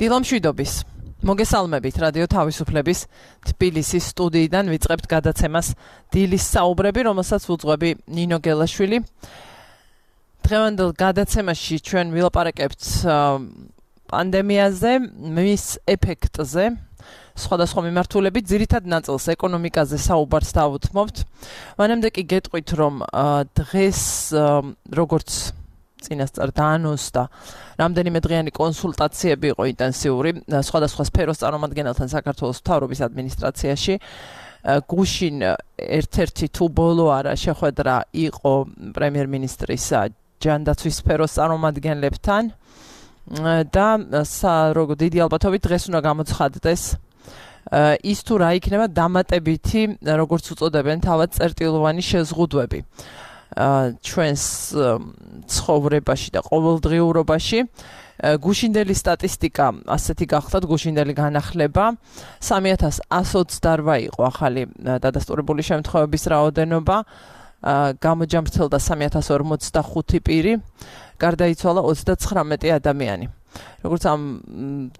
დილამშვიდობის. მოგესალმებით რადიო თავისუფლების თბილისის სტუდიიდან ვიწყებთ გადაცემას დილის საუბრები, რომელსაც უძღვები ნინო გელაშვილი. დღევანდელ გადაცემაში ჩვენ ვილაპარაკებთ პანდემიაზე, მის ეფექტზე, სხვადასხვა მიმართულებით, ძირითად ნაწილს ეკონომიკაზე საუბარს დავუთმობთ. მანამდე კი გეტყვით, რომ დღეს როგორც წინასწარ დაანონსდა რამდენიმე დღიანი კონსულტაციები იყო ინტენსიური სხვადასხვა სფეროს წარმომადგენელთან საქართველოს მთავრობის ადმინისტრაციაში. გუშინ ერთ-ერთი თუ ბოლო არა შეხვედრა იყო პრემიერ-მინისტრის ჯანდაცვის სფეროს წარმომადგენლებთან და როგორ დიდი ალბათობით დღეს უნდა გამოცხადდეს ის თუ რა იქნება დამატებითი, როგორც უწოდებენ თავად წერტილოვანი შეზღუდვები ჩვენს ცხოვრებაში და ყოველდღიურობაში. გუშინდელი სტატისტიკა ასეთი გახლდათ, გუშინდელი განახლება 3128 იყო ახალი დადასტურებული შემთხვევების რაოდენობა, გამოჯამრთელდა 3045 პირი, გარდაიცვალა 39 ადამიანი. როგორც ამ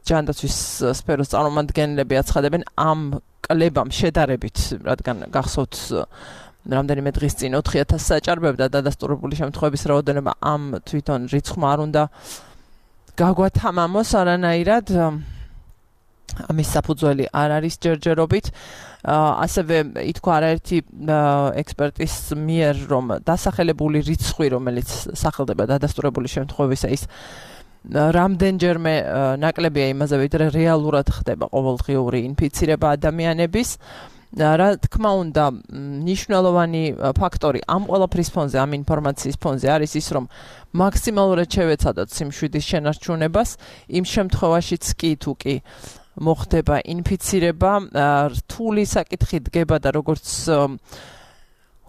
ჯანდაცვის სფეროს წარმომადგენლები აცხადებენ, ამ კლებამ შედარებით, რადგან გახსოვთ რამდენიმე დღის წინ 4000 საჭარბებდა დადასტურებული შემთხვევების რაოდენობა, ამ თვითონ რიცხვმა არ უნდა გაგვათამამოს არანაირად. ამის საფუძველი არ არის ჯერჯერობით. ასევე ითქვა არაერთი ექსპერტის მიერ, რომ დასახელებული რიცხვი, რომელიც სახელდება დადასტურებული შემთხვევისა, ის რამდენჯერმე ნაკლებია იმაზე, ვიდრე რეალურად ხდება ყოველდღიური ინფიცირება ადამიანების. რა თქმა უნდა, მნიშვნელოვანი ფაქტორი ამ ყველაფრის ფონზე, ამ ინფორმაციის ფონზე არის ის, რომ მაქსიმალურად შევეცადოთ სიმშვიდის შენარჩუნებას, იმ შემთხვევაშიც კი თუ კი მოხდება ინფიცირება, რთული საკითხი დგება და როგორც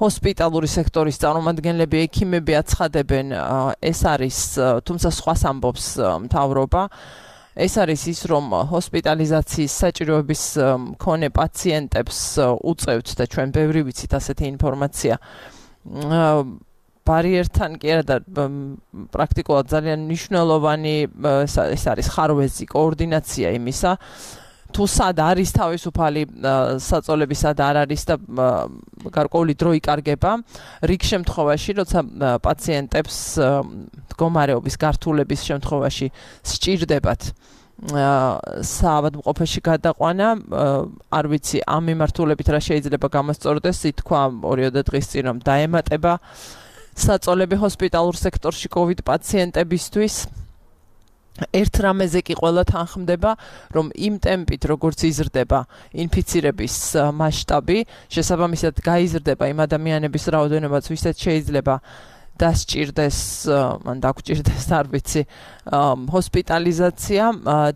ჰოსპიტალური სექტორის წარმომადგენლები, ექიმები აცხადებენ, ეს არის, თუმცა სხვას ამბობს მთავრობა. ეს არის ის, რომ ჰოსპიტალიზაციის საჭიროების მქონე პაციენტებს უწევთ და ჩვენ ბევრი ვიცით ასეთი ინფორმაცია. ბარიერთან კი არა და პრაქტიკულად ძალიან მნიშვნელოვანი ეს არის ხარვეზი, კოორდინაცია იმისა, თუ სად არის თავისუფალი საწოლები, სად არ არის და გარკვეული დრო იკარგება. რიგ შემთხვევაში, როცა პაციენტებს მდგომარეობის გართულების შემთხვევაში სჭირდებათ საავადმყოფოში გადაყვანა, არ ვიცი ამ მიმართულებით რა შეიძლება გამოსწორდეს, ითქვა 2 დღის წინ, რომ დაემატება საწოლები ჰოსპიტალურ სექტორში COVID პაციენტებისთვის. ერთ რამეზე კი ყველა თანხმდება, რომ იმ ტემპით, როგორც იზრდება ინფიცირების მასშტაბი, შესაბამისად გაიზრდება იმ ადამიანების რაოდენობაც, ვისაც შეიძლება დასჭირდეს, ან დაგვჭირდეს, არ ვიცი, ჰოსპიტალიზაცია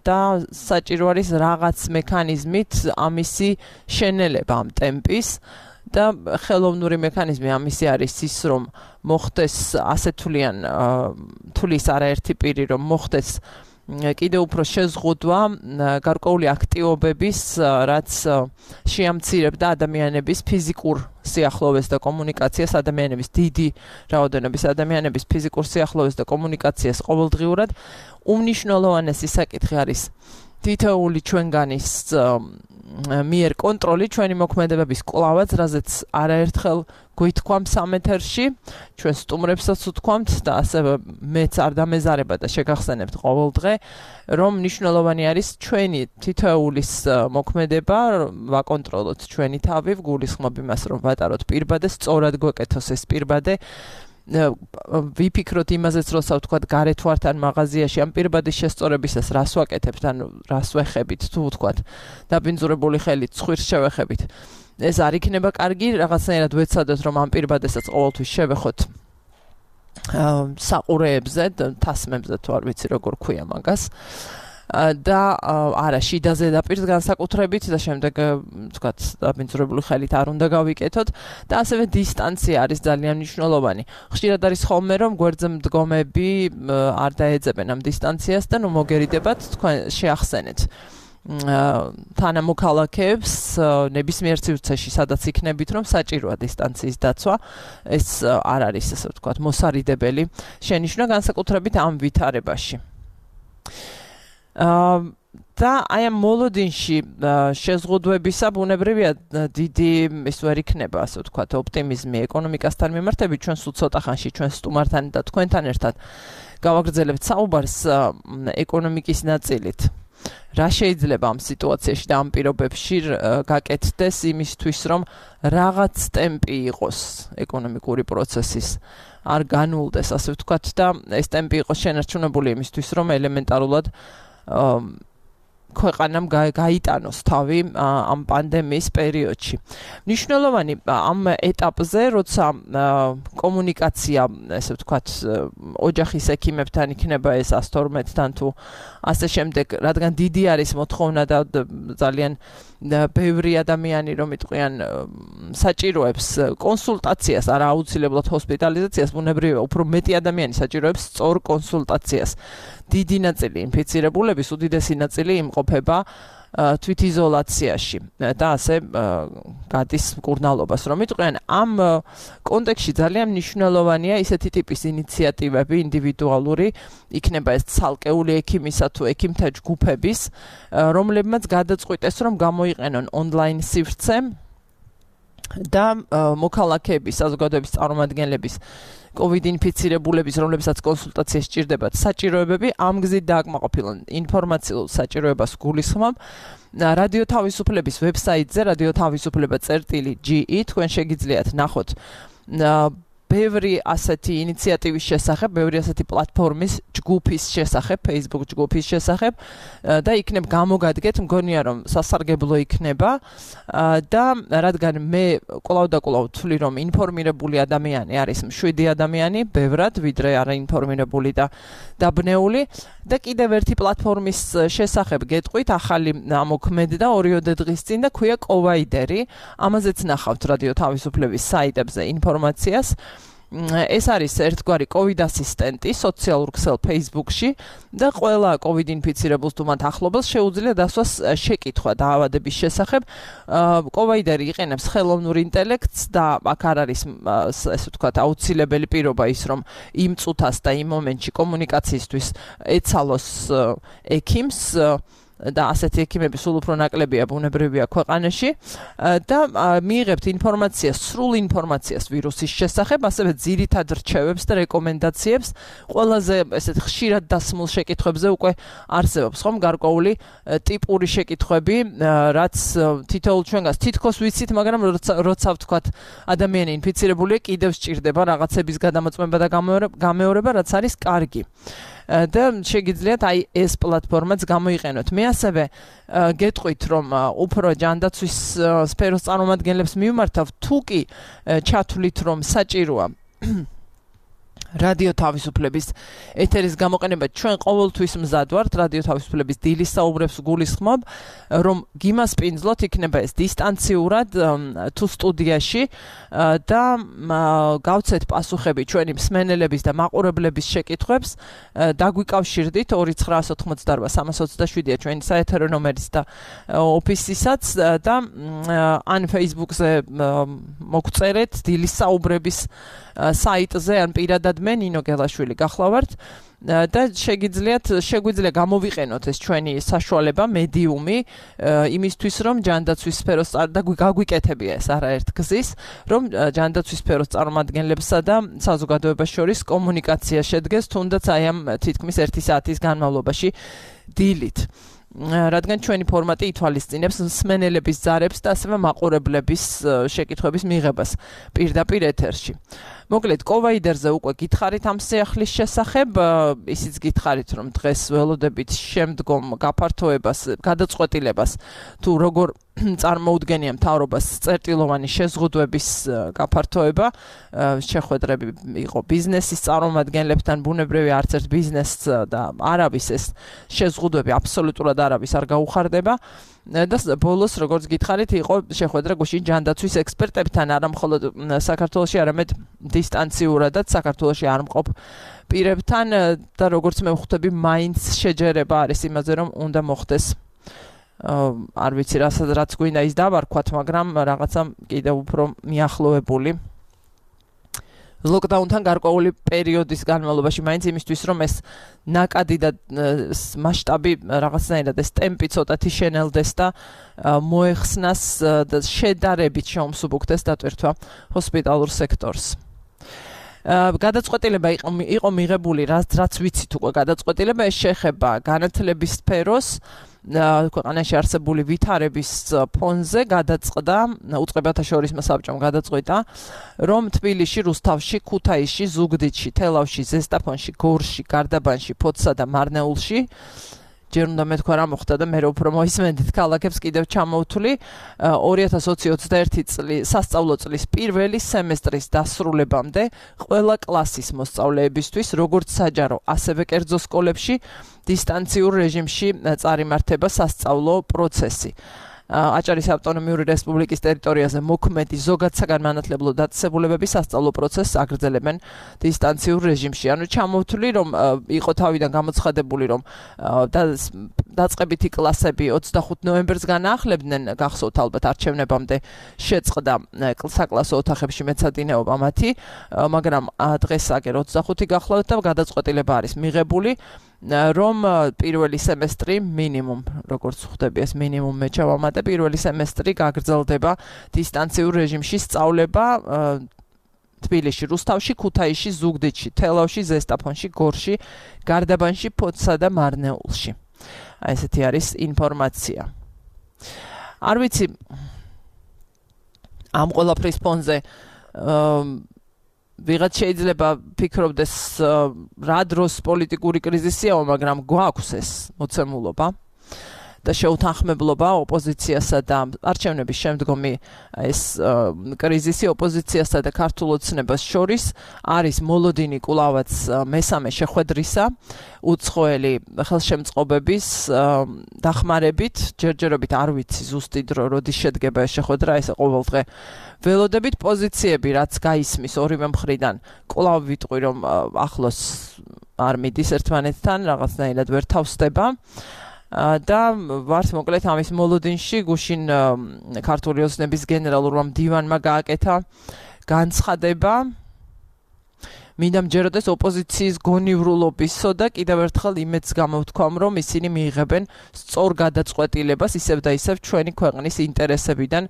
და საჭირო არის რაღაც მექანიზმით ამისი შენელება ამ ტემპის. და ხელოვნური მექანიზმი ამისი არის ის, რომ მოხდეს ასეთულიან თulis არაერთი პირი, რომ მოხდეს კიდევ უფრო შეზღუდვა გარკვეული აქტივობების, რაც შეამცირებდა ადამიანების ფიზიკურ სიახლოვეს და კომუნიკაციას, ადამიანების დიდი რაოდენობის ადამიანების ფიზიკურ სიახლოვეს და კომუნიკაციას ყოველდღიურად. უმნიშვნელოვანესი საკითხი არის თითოეული ჩვენგანის მიერ კონტროლი ჩვენი მოქმედებების კვლავაც, რაზეც არაერთხელ გვითქვამ სამეთერში, ჩვენ სტუმრებსაც ვთქვამთ და ასევე მეც არ დამეზარება და შეგახსენებთ ყოველდღე, რომ მნიშვნელოვანი არის ჩვენი თითოეულის მოქმედება, ვაკონტროლოთ ჩვენი თავი, ვგულისხმობ იმას, რომ ვატაროთ პირბადე, სწორად გვეკეთოს ეს პირბადე. ვიფიქროთ იმაზეც, როცა ვთქვათ გარეთ ვართ ან მაღაზიაში, ამ პირბადის შესწორებისას რას ვაკეთებთ, ან რას ვეხებით, თუ ვთქვათ დაბინძურებული ხელით ცხვირს შევეხებით. ეს არ იქნება კარგი, რაღაცნაირად ვეცადოთ, რომ ამ პირბადესაც ყოველთვის შევეხოთ საყურეებზე, თასმებზე, თუ არ ვიცი როგორ ქვია მაგას. და არა შიდაზე დაპირს განსაკუთრებით და შემდეგ ვთქვათ დაბინძურებული ხელით არ უნდა გავიკეთოთ და ასევე დისტანცია არის ძალიან მნიშვნელოვანი. ხშირად არის ხოლმე, რომ გვერდზე მდგომები არ დაეძებენ ამ დისტანციას და ნუ მოგერიდებათ თქვენ შეახსენეთ თანამოქალაქეებს ნებისმიერ სივრცეში, სადაც იქნებით, რომ საჭიროა დისტანციის დაცვა, ეს არ არის, ასე ვთქვათ, მოსარიდებელი შენიშვნა განსაკუთრებით ამ ვითარებაში. და აი ამ მოლოდინში შეზღუდვებისა ბუნებრივია დიდი ის ვერ იქნება, ასე ვთქვათ, ოპტიმიზმი ეკონომიკასთან მიმართებით, ჩვენ სულ ცოტა ხანში ჩვენ სტუმართან და თქვენთან ერთად გავაგრძელებთ საუბარს ეკონომიკის ნაწილით. რა შეიძლება ამ სიტუაციაში და ამ პირობებში გაკეთდეს იმისთვის, რომ რაღაც ტემპი იყოს ეკონომიკური პროცესის, არ განულდეს, ასე ვთქვათ, და ეს ტემპი იყოს შენარჩუნებული იმისთვის, რომ ელემენტარულად ქვეყანამ გაიტანოს თავი ამ პანდემიის პერიოდში. მნიშვნელოვანი ამ ეტაპზე, როცა კომუნიკაცია, ესე ვთქვათ, ოჯახის ექიმებთან იქნება ეს 112-თან თუ ასე შემდეგ, რადგან დიდი არის მოთხოვნა და ძალიან ბევრი ადამიანი, რომ იტყვიან, საჭიროებს კონსულტაციას, არა აუცილებლად ჰოსპიტალიზაციას, ბუნებრივია, უფრო მეტი ადამიანი საჭიროებს სწორ კონსულტაციას. დიდი ნაწილი ინფიცირებულების, უდიდესი ნაწილი იმყოფება თვითიზოლაციაში და ასე გადის მკურნალობას. რომ იტყვიან, ამ კონტექსტში ძალიან მნიშვნელოვანია ისეთი ტიპის ინიციატივები, ინდივიდუალური, იქნება ეს ცალკეული ექიმისა თუ ექიმთა ჯგუფების, რომლებმაც გადაწყვიტეს, რომ გამოიყენონ ონლაინ სივრცე და მოქალაქეების, საზოგადოების წარმომადგენლების COVID ინფიცირებულების, რომლებსაც კონსულტაცია სჭირდებათ, საჭიროებები ამ გზით დააკმაყოფილონ. ინფორმაციულ საჭიროებას გულისხმობ რადიო თავისუფლების ვებსაიტზე, radioთავისუფლება.ge, თქვენ შეგიძლიათ ნახოთ ბევრი ასეთი ინიციატივის შესახებ, ბევრი ასეთი პლატფორმის ჯგუფის შესახებ, Facebook ჯგუფის შესახებ და იქნებ გამოგადგეთ, მგონია რომ სასარგებლო იქნება და რადგან მე კვლავ და კვლავ ვთვლი, რომ ინფორმირებული ადამიანი არის მშვიდი ადამიანი, ბევრად, ვიდრე არაინფორმირებული და დაბნეული და კიდევ ერთი პლატფორმის შესახებ გეტყვით, ახალი ამოქმედდა 2 დღის წინ და ქვია კოვაიდერი, ამაზეც ნახავთ რადიო თავისუფლების საიტებზე ინფორმაციას. ეს არის ერთგვარი COVID ასისტენტი სოციალურ ქსელ Facebook-ში და ყველა COVID ინფიცირებულს თუ მათ ახლობელს შეუძლია დასვას შეკითხვა დაავადების შესახებ. კოვაიდერი იყენებს ხელოვნურ ინტელექტს და აქ არ არის, ესე ვთქვათ, აუცილებელი პირობა ის, რომ იმ წუთას და იმ მომენტში კომუნიკაციისთვის ეცალოს ექიმს და ასეთი ექიმები სულ უფრო ნაკლებია ბუნებრივია ქვეყანაში და მიიღებთ ინფორმაციას, სრულ ინფორმაციას ვირუსის შესახებ, ასევე ძირითად რჩევებს და რეკომენდაციებს. ყველაზე ესეთ ხშირად დასმულ შეკითხვებზე უკვე არსებობს ხომ გარკვეული ტიპური შეკითხვები, რაც თითოეულ ჩვენგანს თითქოს ვიცით, მაგრამ როცა ვთქვათ ადამიანი ინფიცირებულია, კიდევ სჭირდება რაღაცების გადამოწმება და გამეორება, რაც არის კარგი. და შეგიძლიათ აი ეს პლატფორმაც გამოიყენოთ. მე ასევე გეტყვით, რომ უფრო ჯანდაცვის სფეროს წარმომადგენლებს მივმართავ, თუ კი ჩათვლით, რომ საჭიროა რადიო თავისუფლების ეთერის გამოყენება, ჩვენ ყოველთვის მზად ვართ რადიო თავისუფლების დილის საუბრებს გულისხმობ, რომ გიმასპინძლოთ, იქნება ეს დისტანციურად თუ სტუდიაში და გავცეთ პასუხები ჩვენი მსმენელების და მაყურებლების შეკითხვებს, დაგვიკავშირდით 2988327-ია ჩვენი საეთერო ნომერიც და ოფისისაც და ან Facebook-ზე მოგწერეთ დილის საუბრების საიტზე, ან პირადად მე ნინო გელაშვილი გახლავართ და შეგვიძლია გამოვიყენოთ ეს ჩვენი საშუალება, მედიუმი იმისთვის, რომ ჯანდაცვის სფეროს და გაგვიკეთებია ეს არაერთ გზის, რომ ჯანდაცვის სფეროს წარმომადგენლებსა და საზოგადოებას შორის კომუნიკაცია შედგეს, თუნდაც აი ამ თითქმის 1 საათის განმავლობაში დილით. რადგან ჩვენი ფორმატი ითვალისწინებს მსმენელების ზარებს და ასევე მაყურებლების შეკითხვების მიღებას პირდაპირ ეთერში. მოკლედ, კოვაიდერზე უკვე გითხარით ამ სიახლის შესახებ, ისიც გითხარით, რომ დღეს ველოდებით შემდგომ გაფართოებას, გადაწყვეტილებას თუ როგორ წარმოუდგენია მთავრობას წერტილოვანი შეზღუდვების გაფართოება, შეხვედრები იყო ბიზნესის წარმომადგენლებთან, ბუნებრივია არც ერთ ბიზნესს და არავის ეს შეზღუდვები აბსოლუტურად არავის არ გაუხარდება. და ბოლოს, როგორც გითხარით, იყო შეხვედრა გუშინ ჯანდაცვის ექსპერტებთან, არა მხოლოდ საქართველოში, არამედ დისტანციურადაც საქართველოში არ მყოფ პირებთან და როგორც მე ვხვდები, მაინც შეჯერება არის იმაზე, რომ უნდა მოხდეს არ ვიცი რაც გვინდა ის დავარქვათ, მაგრამ რაღაცა კიდევ უფრო მიახლოებული ლოკდაუნთან გარკვეული პერიოდის განმავლობაში მაინც იმისთვის რომ ეს ნაკადი და მასშტაბი რაღაცნაირად ეს ტემპი ცოტათი შენელდეს და მოეხსნას და შედარებით შეუმსუბუქდეს დატვირთვა ჰოსპიტალურ სექტორს. გადაწყვეტილება იყო მიღებული, რაც ვიცით უკვე გადაწყვეტილება ეს შეეხება განათლების სფეროს ქვეყანაში არსებული ვითარების ფონზე გადაწყდა უწყებათა შორის საბჭომ გადაწყვეტა რომ თბილისში, რუსთავში, ქუთაისში, ზუგდიდში, თელავში, ზესტაფონში, გორში, გარდაბანში, ფოთსა და მარნეულში ჯერ უნდა მეთქვა რა მოხდა და მე უფრო მოისმენდით ქალაქებს კიდევ ჩამოვთვლი 2021 წლის სასწავლო წლის პირველი სემესტრის დასრულებამდე ყველა კლასის მოსწავლეებისთვის როგორც საჯარო ასევე კერძო სკოლებში დისტანციურ რეჟიმში წარიმართება სასწავლო პროცესი. აჭარის ავტონომიური რესპუბლიკის ტერიტორიაზე მოქმედი ზოგად საგანმანათლებლო დაწესებულებები სასწავლო პროცესს აგრძელებენ დისტანციურ რეჟიმში. ანუ ჩამოვთვლი რომ იყო თავიდან გამოცხადებული რომ დაწყებითი კლასები 25 ნოემბერს განაახლებდნენ გახსოვთ ალბათ არჩევნებამდე შეწყდა საკლასო ოთახებში მეცადინეობა მათი, მაგრამ დღეს აგერ 25 გახლავთ და გადაწყვეტილება არის მიღებული რომ პირველი სემესტრი მინიმუმ როგორც ხვდები ეს მინიმუმ მე ჩავამატე პირველი სემესტრი გაგრძელდება დისტანციურ რეჟიმში სწავლება თბილისში, რუსთავში, ქუთაისში, ზუგდიდში, თელავში, ზესტაფონში, გორში, გარდაბანში, ფოთსა და მარნეულში. ესეთი არის ინფორმაცია. არ ვიცი ამ ყველაფრის ფონზე ვიღაც შეიძლება ფიქრობდეს რა დროს პოლიტიკური კრიზისია, მაგრამ გვაქვს ეს მოცემულობა და შეუთანხმებლობა ოპოზიციასა და არჩევნების შემდგომი ეს კრიზისი ოპოზიციასა და ქართულ ოცნებას შორის არის მოლოდინი კვლავაც მესამე შეხვედრისა უცხოელი ხელშემწყობების დახმარებით ჯერჯერობით არ ვიცი ზუსტი დრო როდის შედგება ეს შეხვედრა ეს ყოველდღე ველოდებით პოზიციები რაც გაისმის ორივე მხრიდან კვლავ ვიტყვი რომ ახლოს არ მიდის ერთმანეთთან რაღაცნაირად ვერ თავსდება და ვართ მოკლედ ამის მოლოდინში გუშინ ქართული ოცნების გენერალურმა მდივანმა გააკეთა განცხადება მინდა მჯეროდეს ოპოზიციის გონივრულობისო და კიდევ ერთხელ იმედს გამოვთქვამ რომ ისინი მიიღებენ სწორ გადაწყვეტილებას ისევ და ისევ ჩვენი ქვეყნის ინტერესებიდან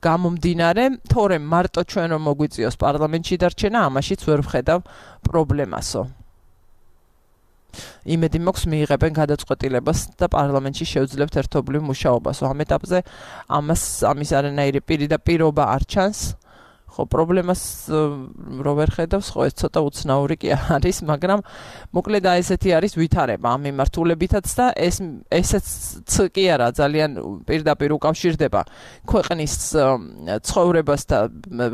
გამომდინარე თორემ მარტო ჩვენ რომ მოგვიწიოს პარლამენტში დარჩენა ამაშიც ვერ ვხედავ პრობლემასო იმედი მაქვს მიიღებენ გადაწყვეტილებას და პარლამენტში შევძლებთ ერთობლივ მუშაობას. ამ ეტაპზე ამის არანაირი პირობა არ ჩანს. ხო, პრობლემას რო ვერ ხედავს, ხო ეს ცოტა უცნაური კი არის, მაგრამ მოკლედ ესეთი არის ვითარება ამ მიმართულებითაც და ესეც კი არა ძალიან პირდაპირ უკავშირდება ქვეყნის ცხოვრებას და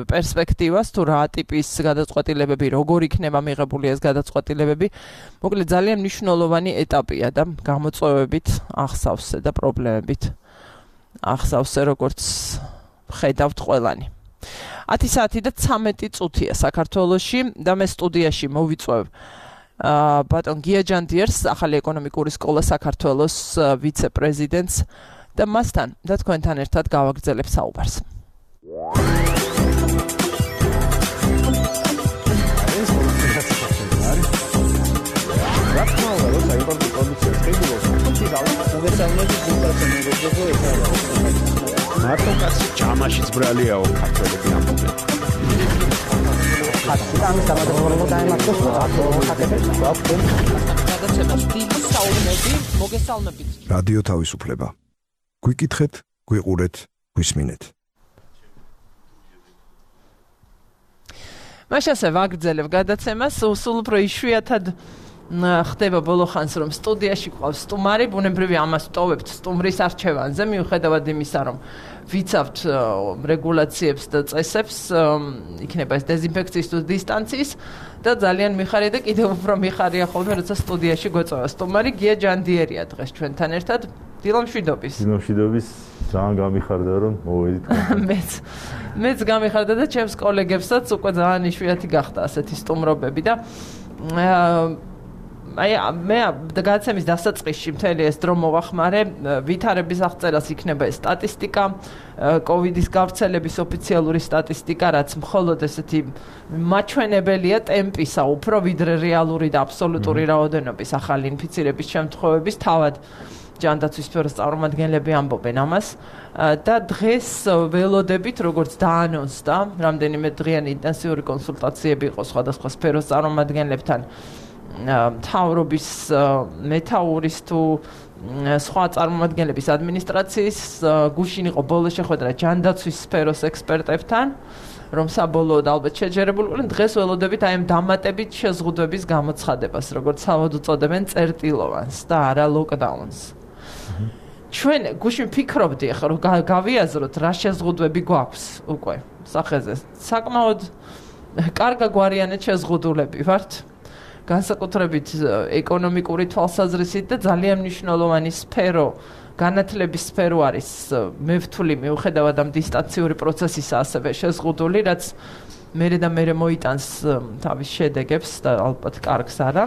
პერსპექტივას თუ რა ტიპის გადაწყვეტილებები როგორ იქნება მიღებული ეს გადაწყვეტილებები მოკლედ ძალიან მნიშვნელოვანი ეტაპია და გამოწვევებით ახსავსე და პრობლემებით ახსავსე როგორც ხედავთ ყველანი 10 საათი და 13 წუთია საქართველოში და მე სტუდიაში მოვიწვევ ბატონ გია ჯანდიერს ახალი ეკონომიკური სკოლა საქართველოს ვიცე-პრეზიდენტს და მასთან და თქვენთან ერთად გავაგრძელებ საუბარს. მარტო კაცი ჯამაშიც ბრალიაო ქართველები ამბობენ. რადიო თავისუფლება. გვიკითხეთ, გვიყურეთ, გვისმინეთ. მაშასე ვაგრძელებ გადაცემას, სულ უფრო იშვიათად ხდება ბოლო ხანს რომ სტუდიაში ყავს სტუმარი, ბუნებრივი ამას ვტოვებთ სტუმრის არჩევანზე, მიუხედავად იმისა რომ ვიცავთ რეგულაციებს და წესებს, იქნება ეს დეზინფექციის თუ დისტანციის და ძალიან მიხარია და კიდევ უფრო მიხარია ხოლმე როცა სტუდიაში გვეწევა სტუმარი გია ჯანდიერია დღეს ჩვენთან ერთად. დილამშვიდობის. დილამშვიდობის. ძალიან გამიხარდა რომ მოვედით. მეც გამიხარდა და ჩემს კოლეგებსაც უკვე ძალიან იშვიათი გახდა ასეთი სტუმრობები და აი მე გადაცემის დასაწყისში მთელი ეს დრო მოვახმარე, ვითარების აღწერას იქნება ეს სტატისტიკა, კოვიდის გავრცელების ოფიციალური სტატისტიკა, რაც მხოლოდ ესეთი მაჩვენებელია ტემპისა, უფრო ვიდრე რეალური და აბსოლუტური რაოდენობის ახალი ინფიცირების შემთხვევების, თავად ჯანდაცვის სფეროს წარმომადგენლები ამბობენ ამას და დღეს ველოდებით, როგორც დაანონსდა, რამდენიმე დღიანი ინტენსიური კონსულტაციები იყო სხვადასხვა სფეროს წარმომადგენლებთან, მთავრობის მეთაურის თუ სხვა წარმომადგენლების ადმინისტრაციის გუშინ იყო ბოლო შეხვედრა ჯანდაცვის სფეროს ექსპერტებთან, რომ საბოლოოდ ალბათ შეჯერებული იყო, დღეს ველოდებით აი ამ დამატებით შეზღუდვების გამოცხადებას, როგორც თავად უწოდებენ წერტილოვანს და არა ლოკდაუნს. ჩვენ გუშინ ფიქრობდი ახლა რომ გავიაზროთ რა შეზღუდვები გვაქვს უკვე სახეზე. საკმაოდ კარგაგვარიანად შეზღუდულები ვართ. განსაკუთრებით ეკონომიკური თვალსაზრისით და ძალიან მნიშვნელოვანი სფერო, განათლების სფერო არის მე ვთვლი მიუხედავად ამ დისტანციური პროცესისა ასევე შეზღუდული, რაც მერე მოიტანს თავის შედეგებს და ალბათ კარგს არა.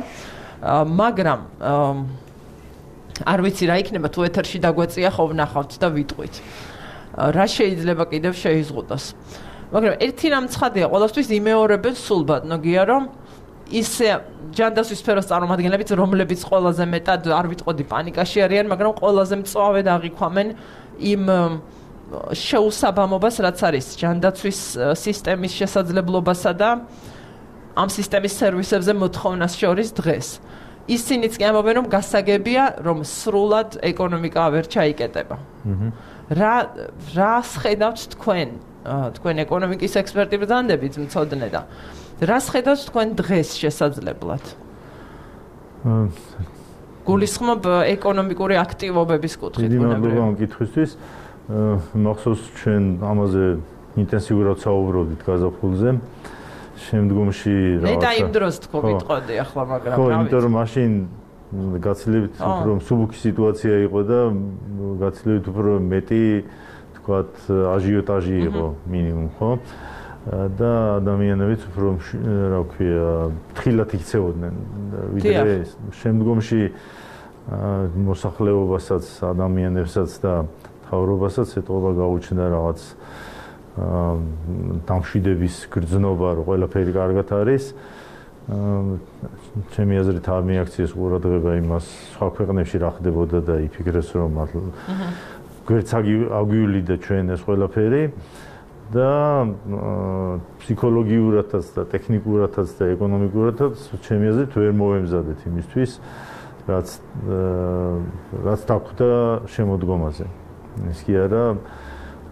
მაგრამ არ ვიცი რა იქნება თუ ეთერში დაგვეწია ხო ვნახავთ და ვიტყვით. რა შეიძლება კიდევ შეიზღუდოს. მაგრამ ერთი რამ ცხადია, ყველასთვის იმეორებენ სულ ბატონოგია, რომ ისე ჯანდაცვის სფეროს წარმომადგენლებიც, რომლებიც ყველაზე მეტად არ ვიტყოდი პანიკაში არიან, მაგრამ ყველაზე მწვავედ აღიქვამენ იმ შეუსაბამობას, რაც არის ჯანდაცვის სისტემის შესაძლებლობასა და ამ სისტემის სერვისებზე მოთხოვნას შორის დღეს. ისინიც კი ამბობენ, რომ გასაგებია, რომ სრულად ეკონომიკა ვერ ჩაიკეტება. რას ხედავთ თქვენ ეკონომიკის ექსპერტი ბრძანდებით მცოდნე და რას ხედავთ თქვენ დღეს შესაძლებლად? გულისხმობ ეკონომიკური აქტივობების კუთხით. დიდი მადლობა ამ კითხვისთვის. მახსოვს ჩვენ ამაზე ინტენსიურად საუბრობდით გაზაფხულზე. შემდგომში მე და იმ დროს თქო ვიტყოდი ახლა, მაგრამ ხო, იმიტომ რომ მაშინ გაცილებით უფრო მსუბუქი სიტუაცია იყო და გაცილებით უფრო მეტი თქვათ აჟიოტაჟი იყო მინიმუმ, ხო? და ადამიანებიც უფრო რა ვქვია, თხილად იქცეოდნენ ვიდრე შემდგომში მოსახლეობასაც, ადამიანებსაც და მთავრობასაც ეთყობა გაუჩნდა რაღაც დამშვიდების გრძნობა, რომ ყველაფერი კარგად არის. ჩემი აზრით არ მიაქციეს ყურადღება იმას, სხვა ქვეყნებში რა ხდებოდა და იფიქრეს, რომ გვერდს აგვივლიდა ჩვენ ეს ყველაფერი და ფსიქოლოგიურადაც და ტექნიკურადაც და ეკონომიკურადაც ჩემი აზრით ვერ მოვემზადეთ იმისთვის, რაც დაგვხვდა შემოდგომაზე. ის კი არა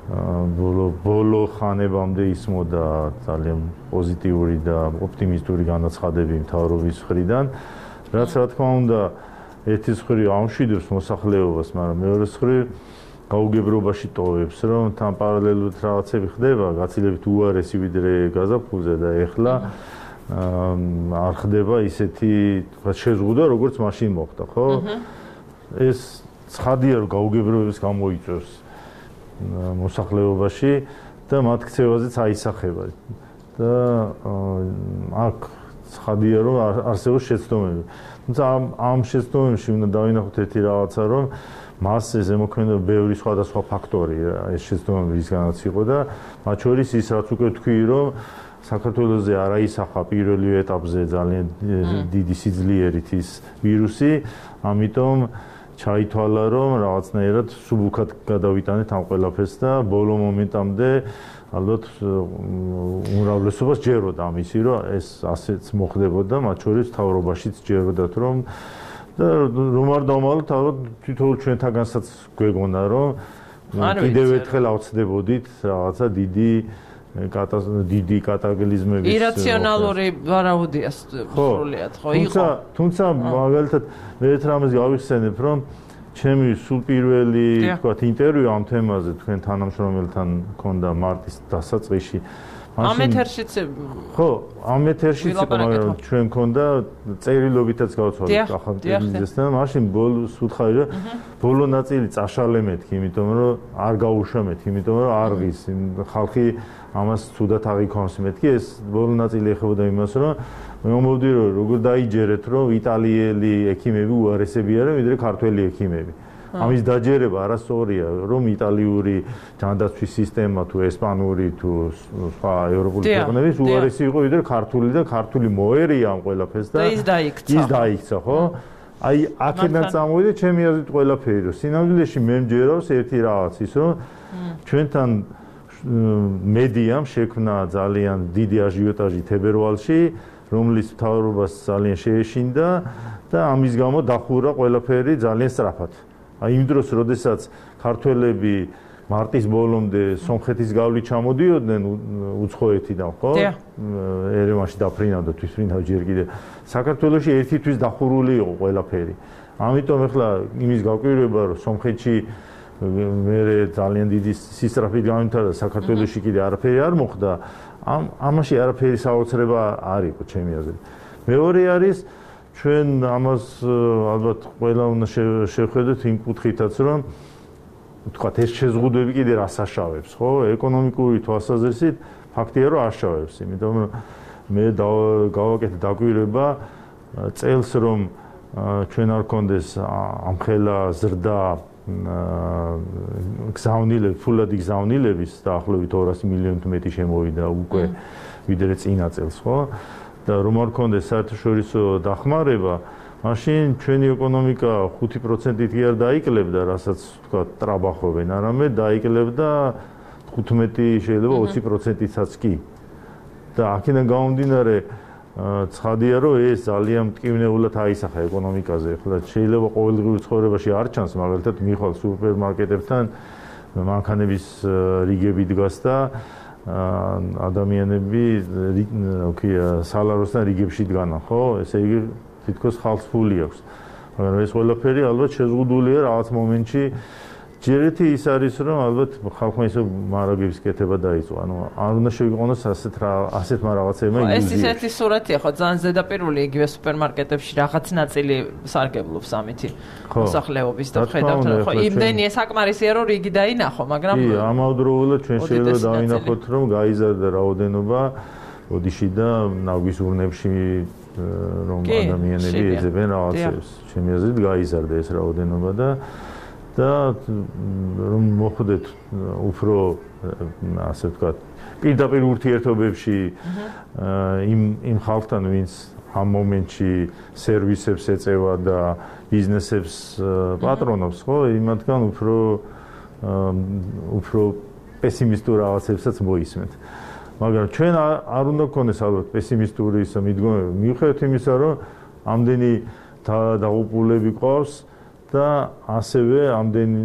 ბოლო ხანებამდე ისმოდა ძალიან პოზიტიური და ოპტიმისტური განაცხადები მთავრობის მხრიდან, რაც რა თქმა უნდა ერთის მხრივ ამშვიდებს მოსახლეობას, მაგრამ მეორეს მხრივ გაუგებრობაში ტოვებს, რომ თან პარალელურად რაღაცები ხდება, გაცილებით უარესი ვიდრე გაზაფხულზე და ეხლა არ ხდება ისეთი შეზღუდვა, როგორც მაშინ მოხდა, ხო? ეს ცხადია, რომ გაუგებრობის გამოიწვევს მოსახლეობაში და მათ ქცევაზეც აისახება. და აქ ცხადია, რომ არსებობს შეცდომები. თუმცა ამ შეცდომებში უნდა დავინახოთ ერთი რაღაცა, რომ მას ეს ემოქმედება ბევრი სხვადასხვა ფაქტორი, ეს შეცდომები რისგანაც იყო და მათ შორის ის რაც უკვე თქვი, რომ საქართველოზე არ აისახა პირველივე ეტაპზე ძალიან დიდი სიძლიერით ის ვირუსი, ამიტომ ჩაითვალა, რომ რაღაცნაირად სუბუქად გადავიტანეთ ამ ყველაფერს და ბოლო მომენტამდე ალბათ უმრავლესობას ჯეროდა ამისი, რომ ეს ასეც მოხდებოდა, მათ შორის მთავრობაშიც ჯეროდათ, რომ და რომ არ დავმალოთ, ალბათ თითოეულ ჩვენთაგანსაც გვეგონა, რომ კიდევ ერთხელ ავწდებოდით რაღაცა დიდი კატაკლიზმების ირაციონალური ვარაუდია სრულიად, ხო იყო. თუმცა მაგალითად მე ერთ რამეს გავიხსენებ, რომ ჩემი სულ პირველი თქვათ ინტერვიუ ამ თემაზე თქვენ თანამშრომელთან მქონდა მარტის დასაწყისში. ამ ეთერშიც ხო, ამ ეთერშიც იყო, მაგრამ ჩვენ მქონდა წერილობითაც გავცვალეთ ახალ ტელევიზიასთან. მაშინ ბოლოს უთხარი, რომ ბოლო ნაწილი წაშალე მეთქი, იმიტომ რომ არ გაუშვა მეთქი, იმიტომ რომ არ ღის ხალხი ამას თუდად აღიქვამს მეთქი. ეს ბოლო ნაწილი ეხებოდა იმას, რომ მომოვიდი რომ როგორ დაიჯერეთ რომ იტალიელი ექიმები უარესები არიან ვიდრე ქართველი ექიმები. ამის დაჯერება არასწორია რომ იტალიური ჯანდაცვის სისტემა თუ ესპანური თუ სხვა ევროპული ქვეყნების უარესი იყო ვიდრე ქართული და ქართული მოერია ამ ყველაფერს და ის დაიქცა ხო? აი აქედან წამოვიდა ჩემი აზრით ყველაფერი რომ სინამდვილეში მე მჯერავს ერთი რაღაც ის რომ ჩვენთან მედიამ შექმნა ძალიან დიდი აჟიოტაჟი თებერვალში რომლის მთავრობას ძალიან შეეშინდა და ამის გამო დახურა ყველაფერი ძალიან სწრაფად. აი იმ დროს, როდესაც ქართველები მარტის ბოლომდე სომხეთის გავლით ჩამოდიოდნენ უცხოეთიდან, ხო? ერევანში დაფრინავდა თვითმფრინავ ჯერ კიდე. საქართველოში ერთი თვის დახურული იყო ყველაფერი. ამიტომ ახლა იმის გაკვირვება, რომ სომხეთში მე ძალიან დიდი სისწრაფით გამიმთავრდა საქართველოში კიდე არაფერი არ მოხდა, ამაში არაფერი საოცრება არ იყო ჩემი აზრით. მეორე არის ჩვენ ამას ალბათ ყველა უნდა შევხედოთ იმ კუთხითაც, რომ თქვათ ეს შეზღუდვები კიდე რას აშავებს, ხო? ეკონომიკური თვალსაზრისით ფაქტია, რომ აშავებს, იმიტომ რომ მე გავაკეთე დაკვირვება წელს რომ ჩვენ არ გქონდეს ამხელა ზრდა გზავნილები, ფულადი გზავნილების დაახლოებით 200 მილიონით მეტი შემოვიდა უკვე ვიდრე წინა წელს, ხო? და რომ არ გქონდეს საერთაშორისო დახმარება, მაშინ ჩვენი ეკონომიკა 5%-ით კი არ დაიკლებდა, რასაც თქვა ტრაბახობენ, არამედ დაიკლებდა 15 შეიძლება 20%-იცაც კი. და აქედან გამომდინარე ცხადია რომ ეს ძალიან მტკივნეულად აისახა ეკონომიკაზე. ახლა შეიძლება ყოველდღიურ ცხოვრებაში არ ჩანს, მაგალითად მიხვალ სუპერმარკეტებთან მანქანების რიგები დგას და ადამიანები სალაროსთან რიგებში დგანან, ხო? ესე იგი თითქოს ხალხს ფული აქვს. მაგრამ ეს ყველაფერი ალბათ შეზღუდულია რაღაც მომენტში. ჯერეთი ის არის რომ ალბათ ხალხმა ისე მარაგების კეთება დაიწყო. ანუ არ უნდა შევიყვანოს ასეთმა რაღაცებმა ილუზია. ეს ისეთი სურათია ხო ძალიან ზედაპირული იგივე სუპერმარკეტებში რაღაც ნაწილი სარგებლობს ამითი მოსახლეობის და ხედავთ ხო იმდენი საკმარისია რომ რიგი დაინახო, მაგრამ კი, ამავდროულად ჩვენ შეიძლება დავინახოთ რომ გაიზარდა რაოდენობა ოდიში და ნაგვის ურნებში რომ ადამიანები ეძებენ რაღაცებს. ჩემი აზრით გაიზარდა ეს რაოდენობა და რომ მოხვდეთ უფრო ასე ვთქვათ პირდაპირ ურთიერთობებში იმ ხალხთან ვინც ამ მომენტში სერვისებს ეწევა და ბიზნესებს პატრონობს, ხო? იმათგან უფრო პესიმისტურ რაღაცებსაც მოისმენთ. მაგრამ ჩვენ არ უნდა გქონდეს ალბათ პესიმისტური ისა მიდგომები. მიუხედავად იმისა, რომ ამდენი დაღუპულები ყავს და ასევე ამდენი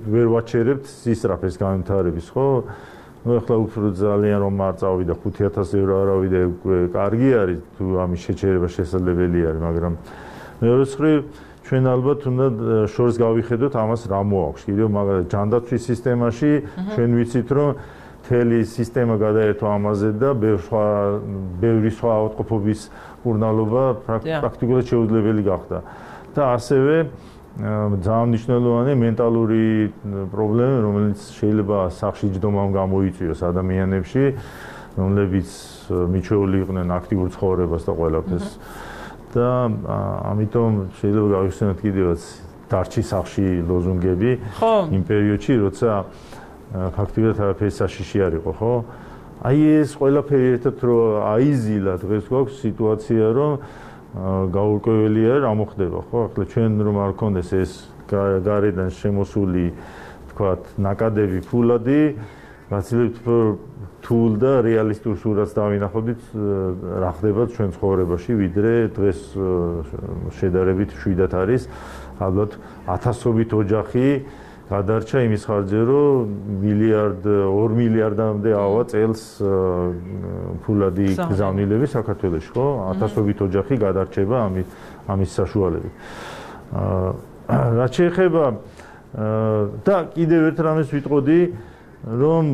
ვერ ვაჩერებთ სისწრაფეს გამიმთავრების, ხო? ნუ ახლა უფრო ძალიან რომ არ წავიდა 5000 ევრო არავიდა უკვე კარგი არის თუ ამის შეჩერება შესაძლებელი არის, მაგრამ მეორე მხრივ ჩვენ ალბათ უნდა შორს გავიხედოთ ამას რა მოაქვს. კიდევ მაგალითად ჯანდაცვის სისტემაში ჩვენ ვიცით რომ მთელი სისტემა გადაერთვა ამაზე და ბევრი სხვა ავადმყოფობის მკურნალობა პრაქტიკულად შეუძლებელი გახდა. და ასევე ძალიან მნიშვნელოვანი მენტალური პრობლემა, რომელიც შეიძლება სახში ჯდომამ გამოიწვიოს ადამიანებში, რომლებიც მიჩეული იყვნენ აქტიურ ცხოვრებას და ყველაფერს. და ამიტომ შეიძლება გავიხსენოთ კიდევაც დარჩი სახში ლოზუნგები იმ პერიოდში, როცა ფაქტობრივად არაფერი საშიში არ იყო, ხო? აი ეს ყველაფერი ერთად რო აიზილა, დღეს გვაქვს სიტუაცია, რომ გაურკვეველია რა მოხდება, ხო? ახლა ჩვენ რომ არ გქონდეს ეს გარედან შემოსული, თქვათ, ნაკადები ფულადი, გაცილებით რთულ და რეალისტურ სურათს დავინახავდით რა ხდება ჩვენ ცხოვრებაში, ვიდრე დღეს შედარებით შვიდად არის, ალბათ 1000-ობით ოჯახი გადარჩა იმის ხარჯზე, რომ 2 მილიარდამდე ავა წელს ფულადი გზავნილები საქართველოში, ხო? 1000-ობით ოჯახი გადარჩება ამის საშუალებით. რაც შეეხება და კიდევ ერთ რამეს ვიტყოდი, რომ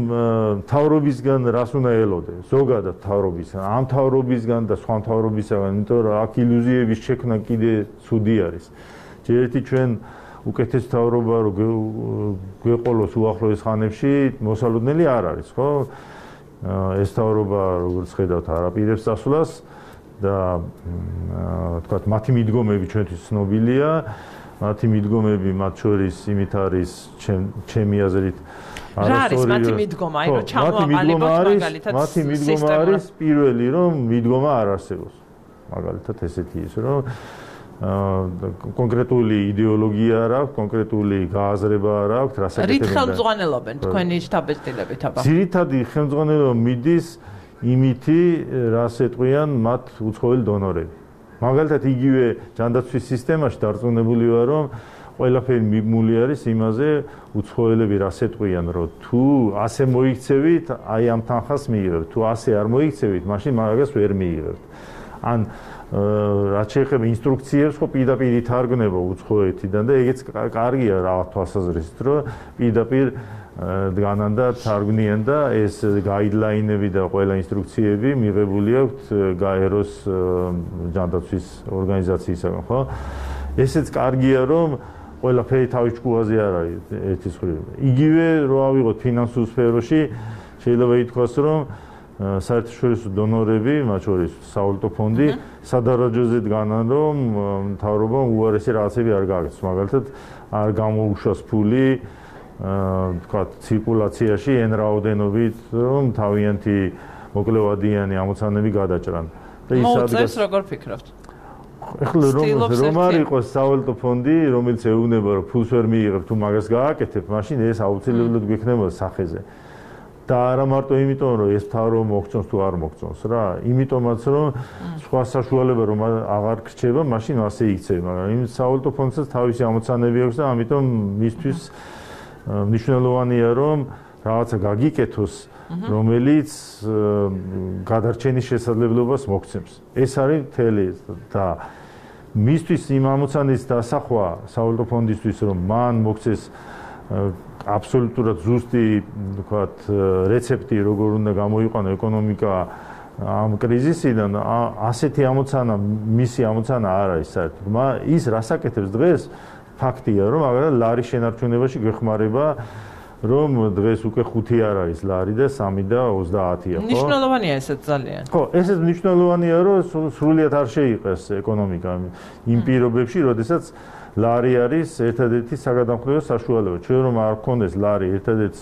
მთავრობისგან რას უნდა ელოდე, ზოგადად მთავრობისგან, ამ მთავრობისგან და სხვა მთავრობისგან, იმიტომ რომ აქ ილუზიების შექმნა კიდე ცუდი არის. ჯერეთი ჩვენ უკეთეს მთავრობა რო გვეყოლოს უახლოეს ხანებში მოსალოდნელი არ არის, ხო? ეს მთავრობა როგორც ხედავთ არაპირებს წასვლას და თქვათ მათი მიდგომები ჩვენთვის ცნობილია. მათი მიდგომები მათ შორის იმით არის ჩემი აზრით რა არის მათი მიდგომა? აი რომ ჩამოაყალიბოთ მაგალითად მათი მიდგომა არის პირველი რომ მიდგომა არ არსებობს. მაგალითად ესეთი ის რომ კონკრეტული იდეოლოგია არ აქვს, კონკრეტული გააზრება არ აქვს, რასაკეთებენ. რით ხელმძღვანელობენ თქვენი შთაბეჭდილებით აბა? ძირითადი ხელმძღვანელობა მიდის იმითი, რას ეტყვიან მათ უცხოელი დონორები. მაგალითად იგივე ჯანდაცვის სისტემაში დარწმუნებული ვარ, რომ ყველაფერი მიბმული არის იმაზე, უცხოელები რას ეტყვიან, რომ თუ ასე მოიქცევით, აი ამ თანხას მიიღებთ, თუ ასე არ მოიქცევით, მაშინ მაგას ვერ მიიღებთ. ან რაც შეეხება ინსტრუქციებს, ხო პირდაპირ ითარგმნება უცხოეთიდან და ეგეც კარგია რა თვალსაზრისით, რომ პირდაპირ დგანან და თარგმნიან და ეს გაიდლაინები და ყველა ინსტრუქციები მიღებული აქვს გაეროს ჯანდაცვის ორგანიზაციისაგან, ხო? ესეც კარგია, რომ ყველაფერი თავის ჭკუაზე არ არის ერთის მხრივ. იგივე რო ავიღოთ ფინანსურ სფეროში, შეიძლება ითქვას, რომ საერთაშორისო დონორები, მათ შორის სავალუტო ფონდი, სადარაჯოზე დგანან, რომ მთავრობამ უარესი რაღაცები არ გააკეთოს. მაგალითად, არ გამოუშვას ფული თქვათ ცირკულაციაში εν რაოდენობით, რომ თავიანთი მოკლევადიანი ამოცანები გადაჭრან. და ის მოუწევს როგორ ფიქრობთ? ეხლა რომ არ იყოს სავალუტო ფონდი, რომელიც ეუბნება, რომ ფულს ვერ მიიღებ, თუ მაგას გააკეთებ, მაშინ ეს აუცილებლად გვექნება სახეზე. და არა მარტო იმიტომ, რომ ეს მთავრობა მოგწონს თუ არ მოგწონს რა, იმიტომაც რომ სხვა საშუალება რომ აღარ გრჩება, მაშინ ასე იქცევა, მაგრამ იმ სავალუტო ფონდსაც თავისი ამოცანები აქვს და ამიტომ მისთვის მნიშვნელოვანია რომ რაღაცა გაგიკეთოს, რომელიც გადარჩენის შესაძლებლობას მოგცემს. ეს არის მთელი და მისთვის იმ ამოცანის დასახვა სავალუტო ფონდისთვის, რომ მან მოგცეს აბსოლუტურად ზუსტი, თქვათ, რეცეპტი, როგორ უნდა გამოიყვანო ეკონომიკა ამ კრიზისიდან, ასეთი ამოცანა, მისი ამოცანა არ არის საერთოდ. ის რასაკეთებს დღეს, ფაქტია, რომ აგრეთვე ლარის შენარჩუნებაში გვეხმარება, რომ დღეს უკვე 5 არ არის ლარი და 3 და 30-ია, ხო? მნიშვნელოვანია ესეც ძალიან. ხო, ესეც მნიშვნელოვანია, რომ სრულიად არ შეიყეს ეკონომიკა იმ პირობებში, როდესაც ლარი არის ერთადერთი საგადამხნევო საშუალება. ჩვენ რომ არ გქონდეს ლარი ერთადერთი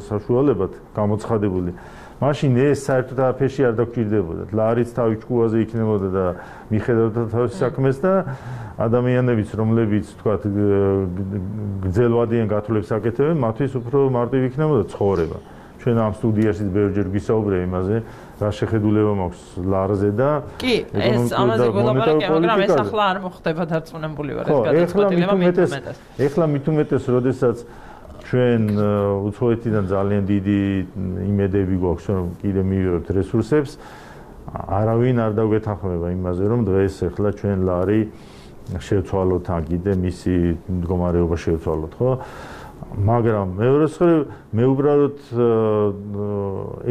საშუალებად გამოცხადებული, მაშინ ეს საერთოდ აფეში არ დაგჭირდებოდა. ლარიც თავის ჭკუაზე იქნებოდა და მიხედავდა თავის საქმეს და ადამიანებიც, რომლებიც თქვათ გრძელვადიან გათვლებს აკეთებენ, მათთვის უფრო მარტივი იქნებოდა ცხოვრება. ჩვენ ამ სტუდიაში ბევრჯერ გვისაუბრეთ იმაზე, რა შეხედულება მაქვს ლარზე და კი, ეს ამაზე გველაპარაკია, მაგრამ ეს ახლა არ მოხდება დარწმუნებული ვარ ეს გადაწყვეტილება მithumetes. ეხლა მithumetes, როდესაც ჩვენ უცხოეთიდან ძალიან დიდი იმედები გვაქვს, რომ კიდე მივიღებთ რესურსებს, არავინ არ დაგვეთანხმება იმაზე, რომ დღეს ეხლა ჩვენ ლარი შევცვალოთ ან კიდე მისი მდგომარეობა შევცვალოთ, ხო? მაგრამ მეორე მხრივ მე უბრალოდ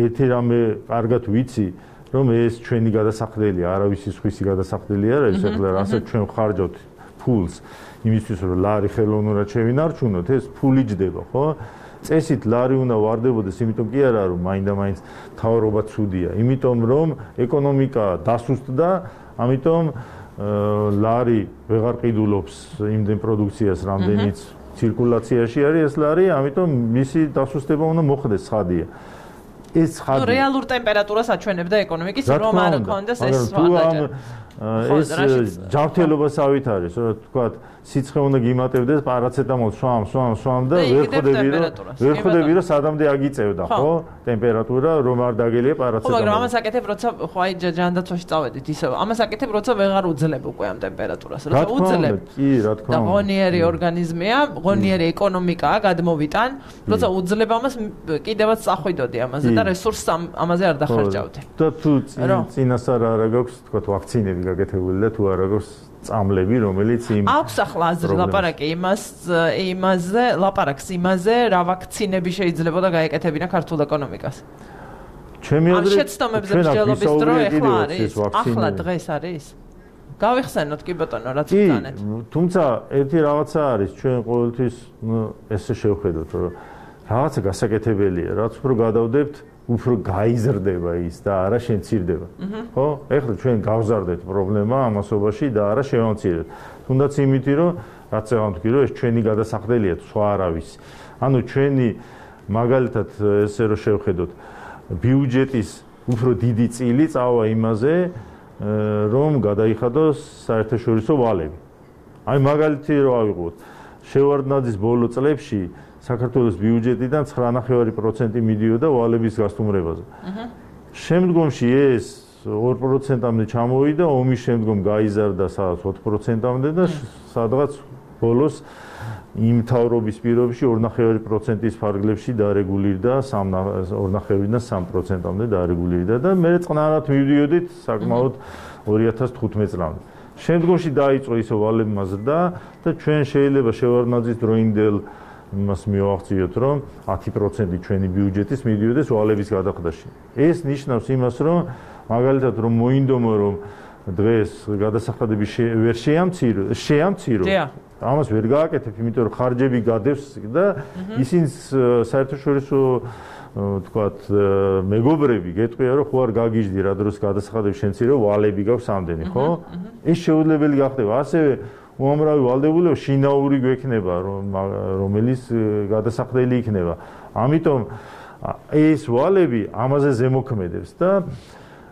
ერთი რამე კარგად ვიცი, რომ ეს ჩვენი გადასახდელი, არავის სხვისი გადასახდელი არ არის, ეხლა რასაც ჩვენ ხარჯავთ ფულს იმისთვის, რომ ლარი ხელოვნურად შევინარჩუნოთ, ეს ფული ჯდება, ხო? წესით ლარი უნდა ვარდებოდეს, იმიტომ კი არა, რომ მაინდა-მაინც მთავრობა ცუდია, იმიტომ რომ ეკონომიკა დასუსტდა, ამიტომ ლარი ვეღარ ყიდულობს იმდენ პროდუქციას, რამდენიც ცირკულაციაში არის ეს ლარი, ამიტომ მისი დასუსტება უნდა მოხდეს ცხადია. ეს ცხადია. რეალურ ტემპერატურას აჩვენებდა ეკონომიკის, რომ არ გქონდეს ეს ეს ჯანმრთელობასავით არის, რომ თქვათ, სიცხე უნდა გიმატებდეს, პარაცეტამოლ სვამ და ვერ ხვდები, რომ სადამდე აგიწევდა, ხო? ტემპერატურა რომ არ დაგელია პარაცეტამოლი. ხო, მაგრამ ამას აკეთებ, როცა ხო აი ჯანდაცვაში წავედით, ისე ამას აკეთებ, როცა ვეღარ უძლებ უკვე ამ ტემპერატურას, როცა უძლებ. კი, რა თქმა უნდა. და ღონიერი ორგანიზმია, ღონიერი ეკონომიკაა, გადმოვიტან, როცა უძლებ ამას კიდევაც წახვიდოდი ამაზე და რესურსს ამაზე არ დახარჯავდი. და თუ წინასწარ არა გაქვს, თქვათ, ვაქცინები გაკეთებული და თუ არა გაქვს წამლები, რომელიც იმ აქვს ახლა აზრი ლაპარაკი იმაზე, ლაპარაკს იმაზე, რა ვაქცინები შეიძლება და გაეკეთებინა ქართულ ეკონომიკას. ჩემი აზრით, შეცდომებზე მსჯელობის დრო ახლა არის, ახლა დღეს არის. გავიხსენოთ კი ბატონო, რაც ბრძანეთ. თუმცა ერთი რაღაცა არის, ჩვენ ყოველთვის ესე შევხედოთ, რომ რაღაცა გასაკეთებელია, რაც უფრო გადავდებთ, უფრო გაიზრდება ის და არა შემცირდება. ხო? ეხლა ჩვენ გავზარდეთ პრობლემა ამასობაში და არა შევამცირებთ. თუნდაც იმითი, რომ რაც ვთქვი, რომ ეს ჩვენი გადასახდელია, სხვა არავის. ანუ ჩვენი მაგალითად ესე რომ შევხედოთ, ბიუჯეტის უფრო დიდი წილი წავა იმაზე, რომ გადაიხადოს საერთაშორისო ვალები. აი მაგალითი რო ავიღოთ, შევარდნაძის ბოლო წლებში საქართველოს ბიუჯეტიდან 9.5% მიდიოდა ვალების გასტუმრებაზე. შემდგომში ეს 2%-მდე ჩამოვიდა, ომის შემდგომ გაიზარდა სადღაც 4%-მდე და სადღაც ბოლოს იმ თავრობის პირობებში 2.5%-ის ფარგლებში დარეგულირდა 2.5-დან 3%-მდე დარეგულირდა და მე წყნარად მივდიოდით საკმაოდ 2015 წლამდე. შემდგომში დაიწყო ისო ვალებმა ზრდა და ჩვენ შეიძლება შევარდნაძის დროინდელ იმას მივახციოთ, რომ 10% ჩვენი ბიუჯეტის მიდიოდეს ვალების გადახდაში. ეს ნიშნავს იმას, რომ მაგალითად რომ მოინდომო რომ დღეს გადასახადები ვერ შეამცირო. ამას ვერ გააკეთებ, იმიტომ რომ ხარჯები გადევს და ისინი საერთაშორისო თქვათ მეგობრები გეტყვია რომ ხო არ გაგიჟდი რა დროს გადასახადები შემცირო ვალები გაქვს ამდენი, ხო? ეს შეუძლებელი გახდება. ასევე უამრავი ვალდებულება შინაური გვექნება, რომელიც გადასახდელი იქნება. ამიტომ ეს ვალები ამაზე ზემოქმედებს და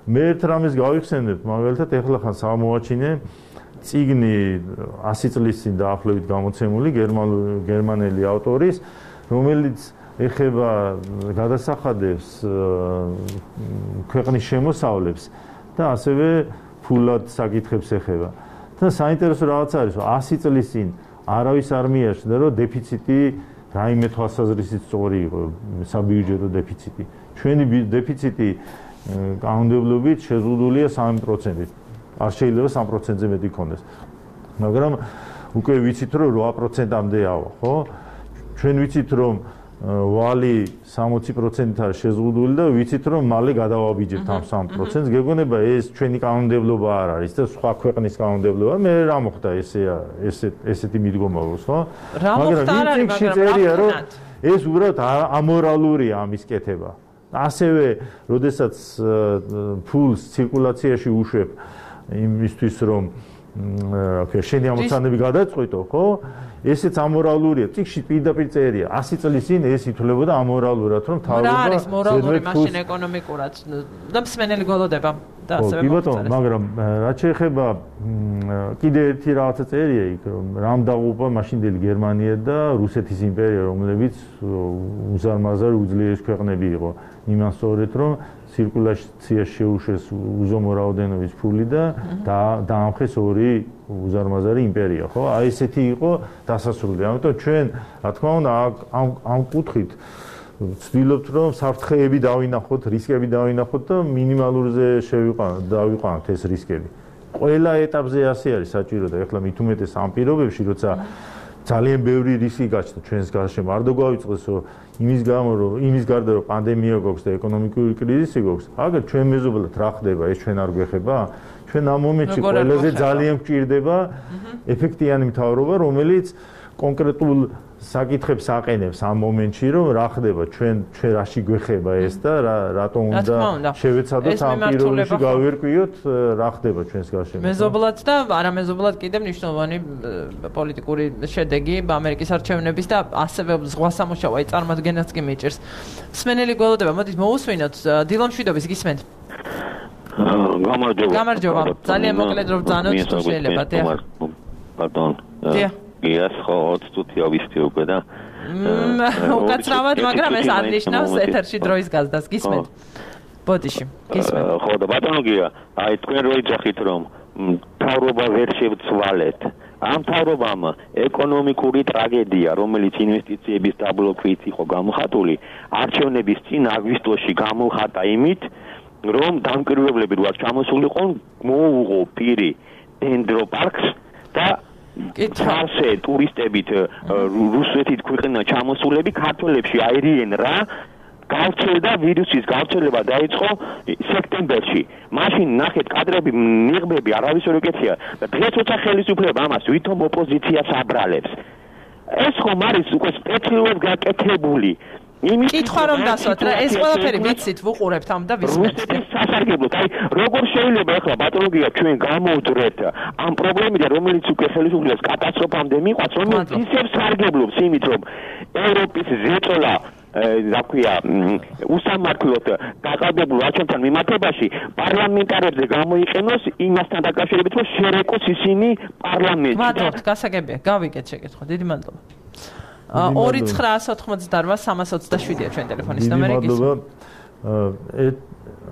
მე ერთ რამეს გავიხსენებ, მაგალითად ეხლა ხან სამოაჩინე წიგნი 100 წლის წინ დაახლოებით გამოცემული გერმანელი ავტორის, რომელიც ეხება გადასახადებს ქვეყნის შემოსავლებს და ასევე ფულად საკითხებს ეხება. და საინტერესო რაღაც არის, რომ 100 წლის წინ არავის არ მიაჩნდა, რომ დეფიციტი რაიმე თვალსაზრისით სწორი იყო, საბიუჯეტო დეფიციტი. ჩვენი დეფიციტი კანონმდებლობით შეზღუდულია 3%-ით. არ შეიძლება 3%-ზე მეტი იქონდეს. მაგრამ უკვე ვიცით, რომ 8%-მდე ავა, ხო? ჩვენ ვიცით, რომ ვალი 60%-ით არის შეზღუდული და ვიცით, რომ მალე გადავაბიჯებთ ამ 3%-ს. გეგონება ეს ჩვენი კანონმდებლობა არ არის და სხვა ქვეყნის კანონმდებლობა. მე რა მოხდა ესეთი მიდგომა აქვს, ხო? მაგრამ ის წერია, რომ ეს უბრალოდ ამორალურია ამის კეთება. ასევე, როდესაც ფულს ცირკულაციაში უშვებ იმისთვის, რომ შენი ამოცანები გადაწყვიტო, ხო? ესეც ამორალურია. წიგში პირდაპირ წერია 100 წლის წინ ეს ითვლებოდა ამორალურად, რომ თავრობა რა არის მორალური მაშინ ეკონომიკურად და მსმენელი გველოდება და ასევე მოხდა. მაგრამ რაც შეეხება კიდე ერთი რაღაცა წერია იქ, რომ რამ დაღუპა მაშინდელი გერმანია და რუსეთის იმპერია, რომლებიც უზარმაზარ უძლიერეს ქვეყნები იყო. იმან სწორედ რომ ცირკულაციაში შეუშვეს უზომო რაოდენობის ფული და დაამხეს ორი უზარმაზარი იმპერია, ხო? აი ესეთი იყო დასასრული. ამიტომ ჩვენ, რა თქმა უნდა, ამ კუთხით ვცდილობთ, რომ საფრთხეები დავინახოთ, რისკები დავინახოთ და მინიმალურზე დავიყვანოთ ეს რისკები. ყველა ეტაპზე ასე არის საჭირო და ეხლა მით უმეტეს ამ პირობებში, როცა ძალიან ბევრი რისკი გაჩნდა ჩვენს გარშემო. არ დაგვაიწყდეს, რომ იმის გარდა რომ პანდემია გვაქვს და ეკონომიკური კრიზისი გვაქვს, აგერ ჩვენ მეზობლად რა ხდება, ეს ჩვენ არ გვეხება? ჩვენ ამ მომენტში ყველაზე ძალიან გვჭირდება ეფექტიანი მთავრობა, რომელიც კონკრეტულ საკითხებს აყენებს ამ მომენტში, რომ რა ხდება, ჩვენ რაში გვეხება ეს და რატომ უნდა შევეცადოთ ამ პირობებში გავერკვიოთ რა ხდება ჩვენს გარშემო. მეზობლად და არამეზობლად კიდევ მნიშვნელოვანი პოლიტიკური შედეგი ამერიკის არჩევნების და ასევე ზღვა სამუშაო წარმოადგენაც კი მიჭირს. მსმენელი გველოდება, მოდით მოусვინოთ დილა მშვიდობის გისმენთ. გამარჯობა. ძალიან მოკლედ რომ ბრძანოთ თუ შეიძლება, პარდონ. Yes, ხო, 20 წუთი ავისდი უკვე და უკაცრავად, მაგრამ ეს არ ნიშნავს ეთერში დროის გაზდას. გისმენთ. ბოდიში, გისმენთ. ხო, და ბატონო გია, აი თქვენ რო იძახით რომ თავრობა ვერ შევცვალეთ. ამ თავრობამ ეკონომიკური ტრაგედია, რომელიც ინვესტიციების დაბლოკვით იყო გამოხატული, არჩევნების წინ აგვისტოში გამოხატა იმით, რომ დამკვირვებლები რო ჩამოსულიყვნენ, მოუღო პირი დენდროპარკს და კითხავსე ტურისტებით რუსეთით ქვეყნა ჩამოსულები ქართველებში აირიენ რა გავრცელდა ვირუსის გავრცელება დაიწყო სექტემბერში. მაშინ ნახეთ კადრები, ნიღბები, არავის ვერ ეკეცია და დღეს როცა ხელისუფლება ამას ვითომ ოპოზიციას აბრალებს. ეს ხომ არის უკვე სპეციალურად გაკეთებული კითხვა რომ დასვათ რა, ეს ყველაფერი ვიცით, ვუყურებთ ამ და ვისმენთ. სასარგებლოდ, აი, როგორ შეიძლება ახლა პათოლოგია ჩვენ გამოვდრეთ ამ პრობლემიდან, რომელიც უკვე ხელისუფლებას კატასტროფამდე მიყვანს, რომელიც ისევ სარგებლობს იმით, რომ ევროპის ზეწოლა დაქვია უსამართლოდ დაყალბებულ არჩევნებთან მიმართებაში პარლამენტარებზე გამოიყენოს იმასთან დაკავშირებით, რომ შერეკოს ისინი პარლამენტში. მადლობთ, გასაგებია, გავიგეთ შეკითხვა. დიდი მადლობა. 2988-327-ია ჩვენ ტელეფონის ნომერი. მადლობა.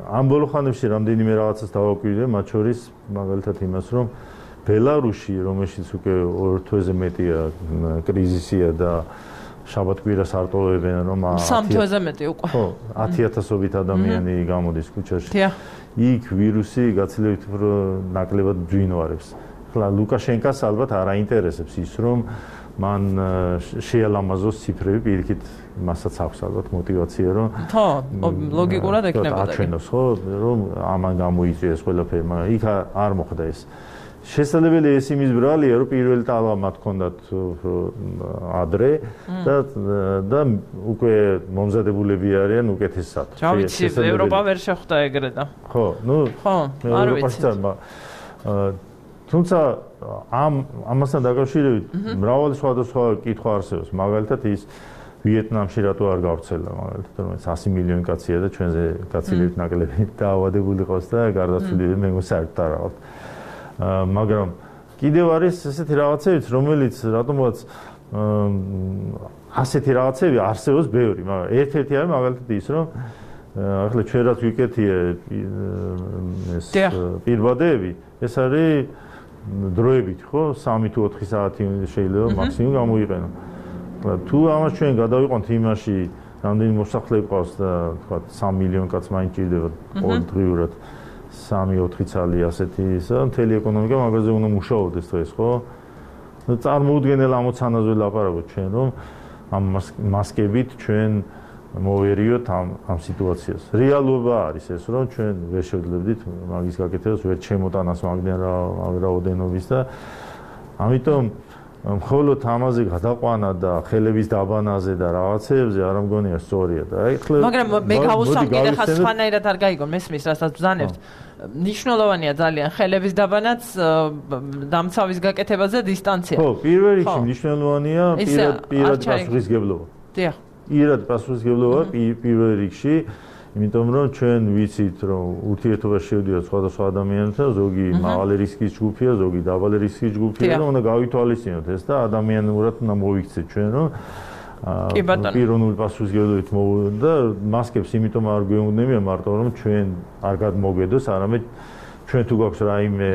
ამ ბოლო ხანებში რამდენიმე რაღაცას დავაკვირდე, მათ შორის მაგალითად იმას, რომ ბელარუსი, რომელშიც უკვე 2 თვეზე მეტია კრიზისია და შაბათ-კვირას არტოვებენ, რომ 3 თვეზე მეტი უკვე. ხო, 10000-ობით ადამიანი გამოდის ქუჩაში. იქ ვირუსი გაცილებით უფრო ნაკლებად ძვინვარებს. ახლა ლუკაშენკას ალბათ არ აინტერესებს ის, რომ მან შეალამაზოს ციფრები, პირიქით მასაც აქვს ალბათ мотиваცია, რომ ხო, ლოგიკურად ექნებოდა. აჩვენოს, ხო, რომ ამან გამოიწვიეს ყველაფერი, მაგრამ იქ არ მოხდა ეს. შესაძლებელი ეს იმის ბრალია, რომ პირველი ტალღა მათ ჰქონდათ ადრე და უკვე მომზადებულები არიან უკეთესად. რა ვიცი, ევროპა ვერ შეხვდა ეგრე და. ხო, ნუ ხო, არ ვიცი. თუმცა ამასთან დაკავშირებით მრავალი სხვადასხვა კითხვა არსებობს. მაგალითად ის ვიეტნამში რატო არ გავრცელდა, მაგალითად, რომელიც 100 მილიონი კაცია და ჩვენზე გაცილებით ნაკლები დაავადებული ყავს და გარდაცვლილი მე მოსარგებთ არ აქვს. მაგრამ კიდევ არის ესეთი რაღაცებიც, რომელიც რატომაც ასეთი რაღაცები არსებობს ბევრი, მაგრამ ერთ-ერთი არის მაგალითად ის, რომ ახლა ჩვენ რაც ვიკეთია ეს პირბადეები, ეს არის დროებით, ხო, 3 თუ 4 საათი შეიძლება მაქსიმუმ გამოიყენო. თუ ამას ჩვენ გადავიყვანთ იმაში, რამდენი მოსახლე ყავს და თქვა 3 მილიონი კაც მაინც ჭირდება ყოველდღიურად 3-4 წელი ასეთი ისა, მთელი ეკონომიკა მაგაზე უნდა მუშაობდეს დღეს, ხო? წარმოუდგენელ ამოცანაზე ლაპარაკობთ ჩვენ, რომ ამ მასკებით ჩვენ მოვერიოთ ამ სიტუაციას. რეალობა არის ეს, რომ ჩვენ ვერ შევძლებდით მაგის გაკეთებას, ვერ ჩემოტანას მაგდენ რაოდენობის და ამიტომ მხოლოდ ამაზე გადაყვანა და ხელების დაბანაზე და რაღაცეებზე არ მგონია სწორია და აი ხლა მაგრამ მე გავუსვამ კიდე ხა სხვანაირად არ გაიგო მესმის რასაც ბრძანებთ ნიშნულოვანია ძალიან ხელების დაბანაც დამცავის გაკეთებაზე დისტანცია ხო პირველ რიგში მნიშვნელოვანია პირად პასუხისგებლობა დიახ პირად პასუხისგებლობა პირველ რიგში იმიტომ რომ ჩვენ ვიცით რომ ურთიერთობაში შევდიოთ სხვადასხვა ადამიანთან, ზოგი მაღალი რისკის ჯგუფია, ზოგი დაბალი რისკის ჯგუფია და უნდა გავითვალისწინოთ ეს და ადამიანურად უნდა მოვიქცეთ ჩვენ რომ პიროვნული პასუხისგებლობით და მასკებს იმიტომ არ გვეუბნებია მარტო რომ ჩვენ არ გადმოგედოს, არამედ ჩვენ თუ გვაქვს რაიმე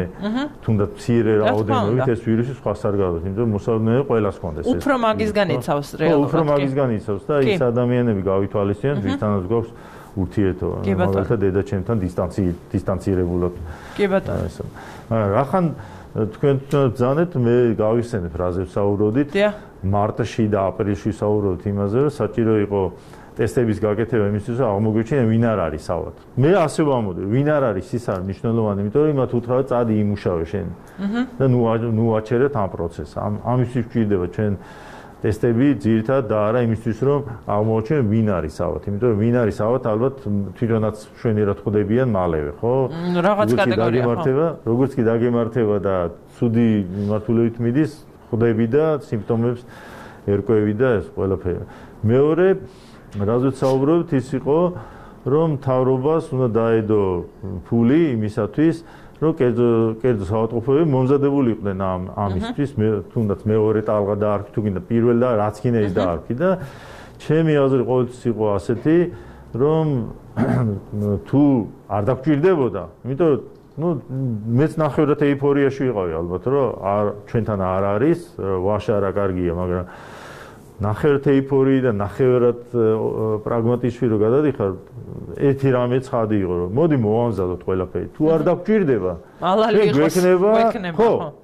თუნდაც მცირე რაოდენობით ეს ვირუსი სხვას არ გადადის, იმიტომ რომ მოსაუბრებელი ყველას ჰქონდეს ეს. უფრო მაგისგან იცავს რეალურად. უფრო მაგისგან იცავს და ის ადამიანები გავითვალისწინოთ, ვისთანაც გვაქვს ურთიერთობა, მაგალითად დედაჩემთან დისტანცირებულად. კი ბატონო. რახან თქვენ ბრძანეთ, მე გავიხსენებ რაზეც საუბრობდით. მარტში და აპრილში საუბრობთ იმაზე, რომ საჭირო იყო ტესტების გაკეთება იმისთვის, რომ აღმოგვიჩინე ვინ არ არის საواد. მე ასე ვამბობდი, ვინ არ არის ის არის მნიშვნელოვანი, იმიტომ რომ იმათ უთხრა წადი იმუშავე შენ. და ნუ აჩერეთ ამ პროცესს. ამისთვის გვჭირდება ჩვენ ტესტები ძირითადად და არა იმისთვის რომ აღმოაჩინო ვინ არის საواد, იმიტომ რომ ვინ არის საواد ალბათ თვითონაც შვენიერად ხვდებიან მალევე, ხო? რაღაც კატეგორია ხო? როგორც კი დაგემართება და ცუდი მიმართულებით მიდის, ხვდები და სიმპტომებს ერკვევი და ეს ყველაფერი. მეორე, რაზეც საუბრობთ, ის იყო რომ მთავრობას უნდა დაედო ფული იმისათვის რომ კერძო საავადმყოფოები მომზადებული იყვნენ ამისთვის, თუნდაც მეორე ტალღა დაარქვი, თუ გინდა პირველ და რაც გინდა ის დაარქვი და ჩემი აზრი ყოველთვის იყო ასეთი, რომ თუ არ დაგჭირდებოდა, იმიტომ რომ ნუ მეც ნახევრად ეიფორიაში ვიყავი ალბათ, რომ ჩვენთან არ არის, ვაშა რა კარგია, მაგრამ ნახევრად ეიფორიი და ნახევრად პრაგმატიშვი რო გადადიხარ, ერთი რამე ცხადი იყო, რომ მოდი მოვამზადოთ ყველაფერი. თუ არ დაგჭირდება,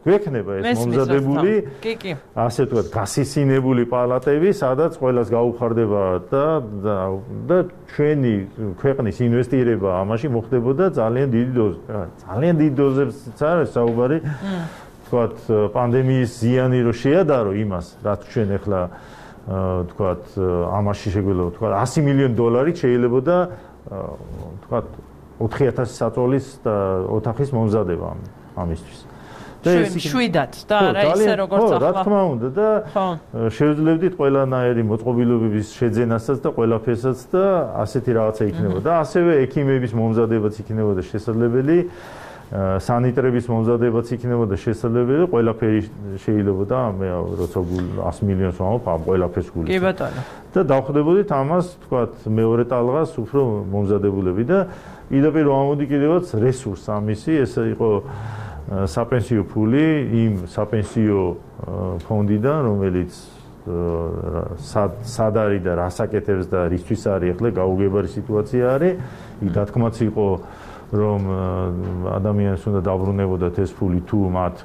გვექნება ეს მომზადებული, ასე ვთქვათ, გასისინებული პალატები, სადაც ყველას გაუხარდება და ჩვენი ქვეყნის ინვესტირება ამაში მოხდებოდა ძალიან დიდი დოზით. ძალიან დიდი დოზებიც არის საუბარი, ვთქვათ, პანდემიის ზიანი რო შეადარო იმას, რაც ჩვენ ახლა თქვათ ამაში შეგვიძლია თქვათ $100 მილიონი შეიძლებოდა თქვათ 4000 საწოლის და ოთახის მომზადება ამისთვის. შვიდად და არა ისე როგორც ახლა. რა თქმა უნდა და შევძლებდით ყველანაირი მოწყობილობების შეძენასაც და ყველაფერსაც და ასეთი რაღაცა იქნებოდა. ასევე ექიმების მომზადებაც იქნებოდა შესაძლებელი, სანიტრების მომზადებაც იქნებოდა შესაძლებელი, ყველაფერი შეიძლებოდა მე როცა 100 მილიონს ვამბობ, ყველაფერს გულით. კი ბატონო. და დავხვდებოდით ამას, თქვათ, მეორე ტალღას უფრო მომზადებულები და პირდაპირ ვამბობდი კიდევაც რესურს ამისი, ეს იყო საპენსიო ფული იმ საპენსიო ფონდიდან, რომელიც სად არის და რას აკეთებს და რისთვის არის ახლა გაუგებარი სიტუაცია არის. იქ დათქმაც იყო, რომ ადამიანს უნდა დაბრუნებოდათ ეს ფული თუ მათ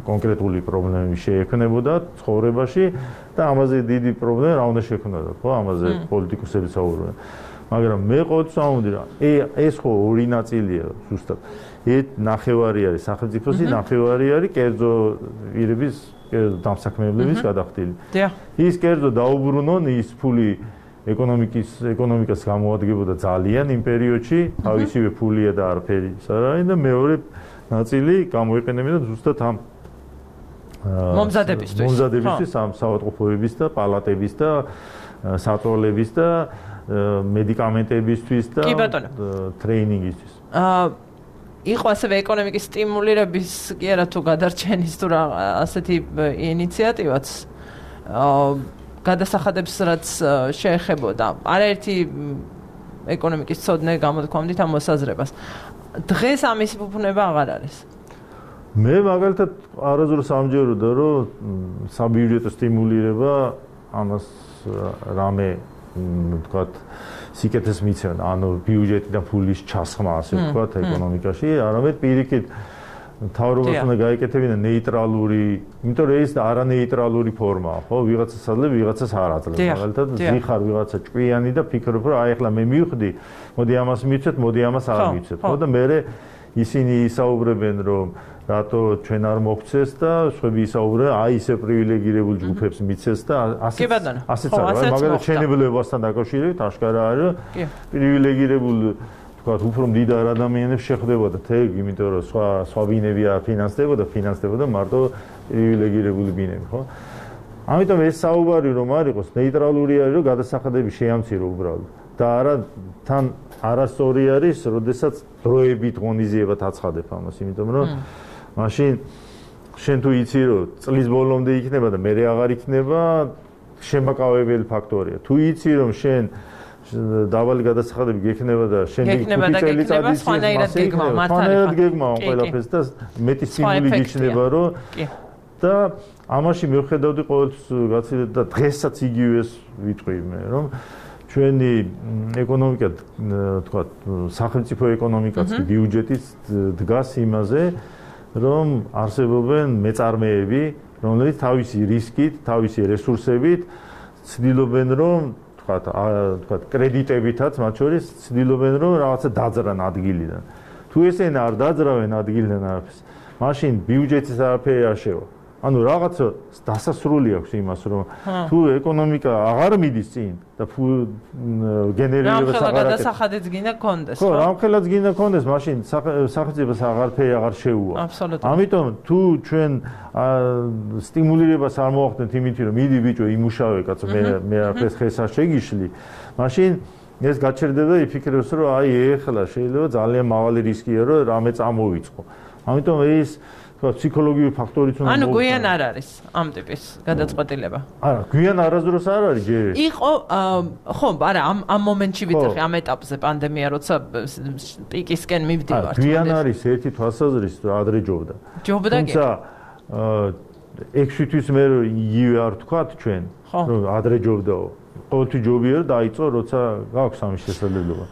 კონკრეტული პრობლემები შეექმნებოდა ცხოვრებაში და ამაზე დიდი პრობლემა რა უნდა შექმნათ, ხო, ამაზე პოლიტიკოსები საუბრობენ. მაგრამ მე ყოველთვის ვამბობდი რა, ეს ხო ორი ნაწილია ზუსტად. ნახევარი არის სახელმწიფოსი, ნახევარი არის კერძო პირების, კერძო დამსაქმებლების გადახდილი. ის კერძო დაუბრუნონ, ის ფული ეკონომიკას გამოადგებოდა ძალიან იმ პერიოდში, თავისივე ფულია და არაფერი სარაი და მეორე ნაწილი გამოიყენებოდა ზუსტად ამ მომზადებისთვის, ამ საავადმყოფოების და პალატების და საწოლების და მედიკამენტებისთვის და ტრეინინგისთვის. იყო ასევე ეკონომიკის სტიმულირების კი არა თუ გადარჩენის თუ რა ასეთი ინიციატივაც გადასახადებს რაც შეეხებოდა არაერთი ეკონომიკის ცოდნე გამოთქვამდით ამ მოსაზრებას. დღეს ამის ფუფუნება აღარ არის. მე მაგალითად არასდროს ამჯეროდა რომ საბიუჯეტო სტიმულირება ამას რამე თქვათ სიკეთეს მიცემდა, ანუ ბიუჯეტიდან ფულის ჩასხმა, ასე ვთქვათ, ეკონომიკაში, არამედ პირიქით თავრობას უნდა გაეკეთებინა ნეიტრალური, იმიტომ რომ ეს არანეიტრალური ფორმაა, ხო, ვიღაცას აძლევს, ვიღაცას არ აძლევს. მაგალითად, ზიხარ ვიღაცა ჭკვიანი და ფიქრობ, რომ აი ახლა მე მივხვდი, მოდი ამას მივცეთ, მოდი ამას არ მივცეთ, ხო და მე ისინი ისაუბრებენ, რომ რატო ჩვენ არ მოგცეს და სხვები ისაუბრებენ, აი ისე პრივილეგირებულ ჯგუფებს მიცეს და ასეც არის, მაგალითად შენებლებასთან დაკავშირებით აშკარა არის, პრივილეგირებულ თქვათ უფრო მდიდარ ადამიანებს შეხვდებოდა თექ, იმიტომ რომ სხვა ბინები არ ფინანსდებოდა მარტო პრივილეგირებული ბინები, ხო? ამიტომ ეს საუბარი რომ არ იყოს ნეიტრალური არის, რომ გადასახადები შეამცირო უბრალოდ და არა თან არასწორი არის, როდესაც დროებით ღონისძიებად აცხადებ ამას, იმიტომ რომ მაშინ შენ თუ იცი რომ წლის ბოლომდე იქნება და მერე აღარ იქნება, შემაკავებელი ფაქტორია. თუ იცი რომ შენ დაბალი გადასახადები გექნება და შენდი 5 წელიწადის მართალია გეგმა ყველაფერს და მეტი სიმბოლი გიჩნდება რომ და ამაში მივხედავდი ყოველთვის გაცილებით და დღესაც იგივეს ვიტყვი მე რომ ჩვენი ეკონომიკა თქვათ სახელმწიფო ეკონომიკაც ბიუჯეტიც დგას იმაზე რომ არსებობენ მეწარმეები რომლებიც თავისი რისკით, თავისი რესურსებით ცდილობენ რომ თქვათ კრედიტებითაც მათ შორის ცდილობენ რომ რაღაცა დაძრან ადგილიდან. თუ ესენ არ დაძრავენ ადგილიდან არაფერს, მაშინ ბიუჯეტის არაფერი არ შევა. ანუ რაღაცა დასასრული აქვს იმას რომ თუ ეკონომიკა აღარ მიდის წინ და გენერირებას აღარ აკეთებს. გადასახადიც გინდა კონდეს. ხო, რამხელაც გინდა კონდეს, მაშინ სახელმწიფოს აღარაფერი აღარ შეუვა. ამიტომ თუ ჩვენ სტიმულირებას არ მოახდენთ იმით რომ მიდი ბიჭო იმუშავე კაცო მე არაფერს ხეს არ შეგიშლი, მაშინ ეს გაჩერდება და იფიქრებს რომ აი ეხლა შეიძლება ძალიან მაღალი რისკია რომ რამე წამოვიწყო. ამიტომ ეს ფსიქოლოგიური ფაქტორიც უნდა ანუ გვიან არ არის ამ ტიპის გადაწყვეტილება. არა, გვიან არასდროს არ არის ჯერ. იყო ხო, არა, ამ მომენტში ვიცი, ამ ეტაპზე პანდემია როცა პიკისკენ მივდივართ. გვიან არის ერთი თვალსაზრისით რომ ადრე ჯობდა. ჯობდა კი. თუმცა 6 თვის მე იგივე არ ვთქვათ ჩვენ, რომ ადრე ჯობდაო. ყოველთვის ჯობია რომ დაიწყო როცა გაქვს ამის შესაძლებლობა.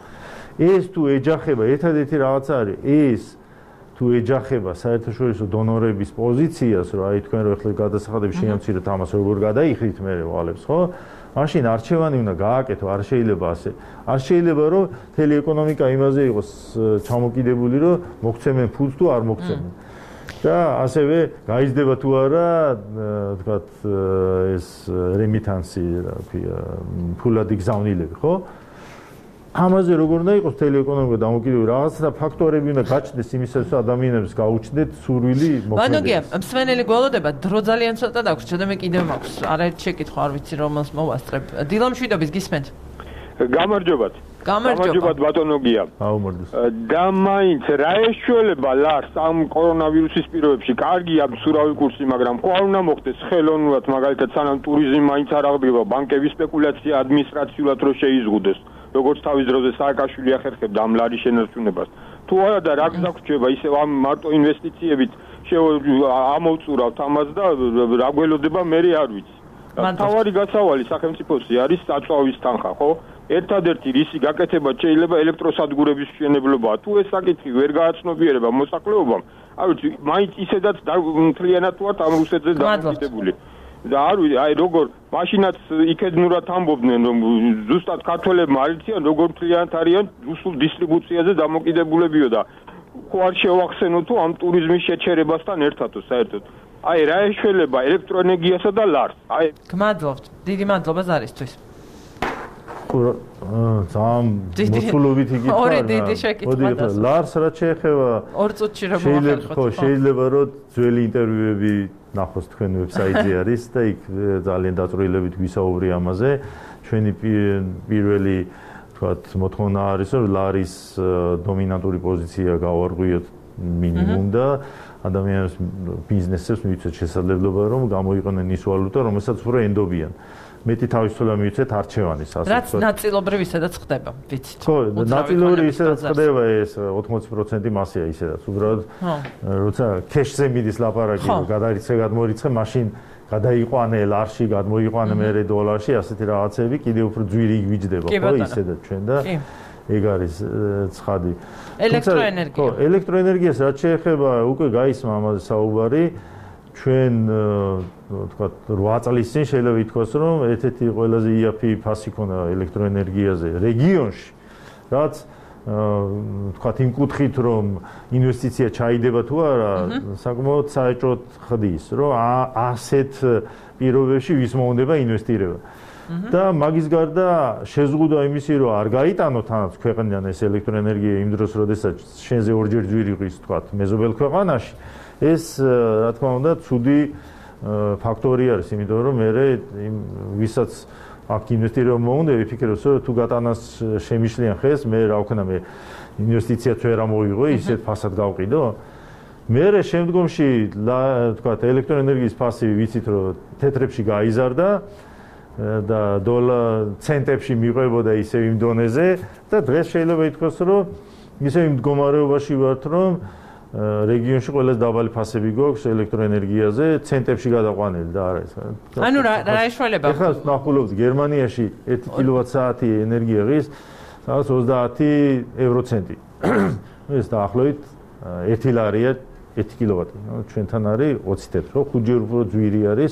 ეს თუ ეჯახება, ერთადერთი რაღაცა არის, ეს თუ ეჯახება საერთაშორისო დონორების პოზიციას, რომ აი თქვენ რო ახლა გადასახადები შეამციროთ ამას როგორ გადაიხდით მე ვალებს, ხო? მაშინ არჩევანი უნდა გააკეთო, არ შეიძლება ასე. არ შეიძლება რომ მთელი ეკონომიკა იმაზე იყოს ჩამოკიდებული, რომ მოგცემენ ფულს თუ არ მოგცემენ. და ასევე გაიზრდება თუ არა თქვათ ეს რემიტანსი რა ქვია ფულადი გზავნილები ხო ამაზე როგორ უნდა იყოს მთელი ეკონომიკა დამოკიდებული რაღაცა ფაქტორები უნდა გაჩნდეს იმისათვის ადამიანებს გაუჩნდეთ სურვილი მოქმედება. ბანოგია, მსმენელი გველოდება, დრო ძალიან ცოტა დაგვს, ჩემ კიდევ მაქვს. არაერთი შეკითხვა არ ვიცი რომელს მოვასწრებ. დილა მშვიდობის გისმენთ. გამარჯობათ. გამარჯობათ ბატონოგია. აუმორდეს. და მაინც რა ეშველება ლარს ამ კორონავირუსის პირობებში? კარგი აქვს ურავი კურსი, მაგრამ ხო არ უნდა მოხდეს ხელოვნურად, მაგალითად სანამ ტურიზმი მაინც არ აღდგება, ბანკების სპეკულაცია ადმინისტრაციულად რო შეიზღუდეს. როგორც თავის დროზე სააკაშვილი ახერხებდა ამ ლარის შენარჩუნებას. თუ არა და რა გზავრჩება ისევ ამ მარტო ინვესტიციებით ამოვწურავთ ამას და რა გველოდება მე არ ვიცი. თავარი გასავალი სახელმწიფოსი არის საწვავის თანხა, ხო? ერთადერთი რისი გაკეთება შეიძლება ელექტროსადგურების მშენებლობაა. თუ ეს საკითხი ვერ გააცნობიერება მოსახლეობამ, არ ვიცი, მაინც ისედაც მთლიანად ვართ ამ რუსეთზე დამოკიდებული. და არ ვიცი, აი როგორ მაშინაც იქედნურად ამბობდნენ რომ ზუსტად ქართველებმა არ იციან როგორ მთლიანად არიან რუსულ დისტრიბუციაზე დამოკიდებულებიო და ხო არ შევახსენო თუ ამ ტურიზმის შეჩერებასთან ერთადო საერთოდ. აი რა ეშველება ელექტროენერგიასა და ლარს. აი გმადლობთ. დიდი მადლობა ზარისთვის. ძალიან მოსულობით იკითხა. ორი დიდი შეკითხვა და ლარს რა შეეხება? 2 წუთში რომ მოახერხოთ. შეიძლება რომ ძველი ინტერვიუები ნახოს თქვენ ვებსაიტზე არის და იქ ძალიან დაწვრილებით გვისაუბრე ამაზე. ჩვენი პირველი თქვათ მოთხოვნა არის რომ ლარის დომინანტური პოზიცია გავარღვიოთ მინიმუმ და ადამიანებს ბიზნესებს მივიცეთ შესაძლებლობა რომ გამოიყენონ ის ვალუტა რომელსაც უფრო ენდობიან. მეტი თავისუფლება მივიცეთ არჩევანის ასე რაც ნაწილობრივ ისედაც ხდება ვიცით ხო ნაწილობრივ ისედაც ხდება ეს 80% მასია ისედაც უბრალოდ როცა ქეშზე მიდის ლაპარაკი გადარიცხე გადმორიცხე მაშინ გადაიყვანე ლარში გადმოიყვანე მე დოლარში ასეთი რაღაცები კიდევ უფრო ძვირი იგვიჯდება ხო ისედაც ჩვენ და ეგ არის ცხადი ელექტროენერგია ხო ელექტროენერგიას რაც შეეხება უკვე გაისმა ამაზე საუბარი ჩვენ თქვა 8 წლის წინ შეიძლება ითქვას რომ ერთ-ერთი ყველაზე იაფი ფასი ქონდა ელექტროენერგიაზე რეგიონში რაც თქვა იმ კუთხით რომ ინვესტიცია ჩაიდება თუ არა საკმაოდ საეჭვოდ ხდის რომ ასეთ პირობებში ვის მოუნდება ინვესტირება და მაგის გარდა შეზღუდვა იმისი რომ არ გაიტანო თანაც ქვეყნიდან ეს ელექტროენერგია იმ დროს როდესაც შენზე ორჯერ ძვირი ყის თქვა მეზობელ ქვეყანაში ეს რა თქმა უნდა ცუდი ფაქტორი არის იმიტომ რომ მე ვისაც აქ ინვესტირება მოუნდა ვიფიქრებს რომ თუ გატანას შემიშლიან ხეს მე რა ვქნა მე ინვესტიციაც ვერ ამოიღო ისეთ ფასად გავყიდო მე შემდგომში თქვა ელექტროენერგიის ფასი ვიცით რომ თეთრებში გაიზარდა და ცენტებში მიყვებოდა ისევ იმ დონეზე და დღეს შეიძლება ითქვას რომ ისევ იმ მდგომარეობაში ვართ რომ რეგიონში ყველაზე დაბალი ფასები გვაქვს ელექტროენერგიაზე ცენტებში გადაყვანილი და არა ეს. ანუ რა ეშველება? ეხლა ნახულობთ გერმანიაში 1 კილოვატ-საათი ენერგია ღირს სადაც 30 ევროცენტი. ეს დაახლოებით 1 ლარია 1 კილოვატი. ჩვენთან არის 20 თეთრ, ხო? 5-ჯერ უფრო ძვირი არის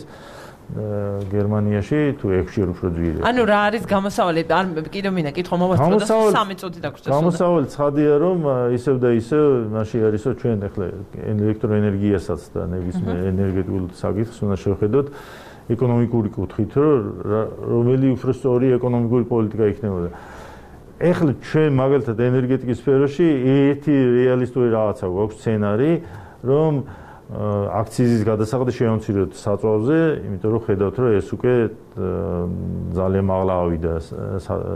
გერმანიაში თუ 6-ჯერ უფრო ძვირი. ანუ რა არის გამოსავალი? არ კიდევ მინდა კითხვა მოვასწრო და 3 წუთი დაგვრჩა. გამოსავალი ცხადია რომ ისევ და ისევ მაშინ არის რომ ჩვენ ახლა ელექტროენერგიასაც და ნებისმიერ ენერგეტიკულ საკითხს უნდა შევხედოთ ეკონომიკური კუთხით რომელი უფრო სწორი ეკონომიკური პოლიტიკა იქნებოდა. ეხლა ჩვენ მაგალითად ენერგეტიკის სფეროში ერთი რეალისტური რაღაცა გვაქვს სცენარი რომ აქციზის გადასახადი შევამციროთ საწვავზე, იმიტომ რომ ხედავთ რომ ეს უკვე ძალიან მაღლა ავიდა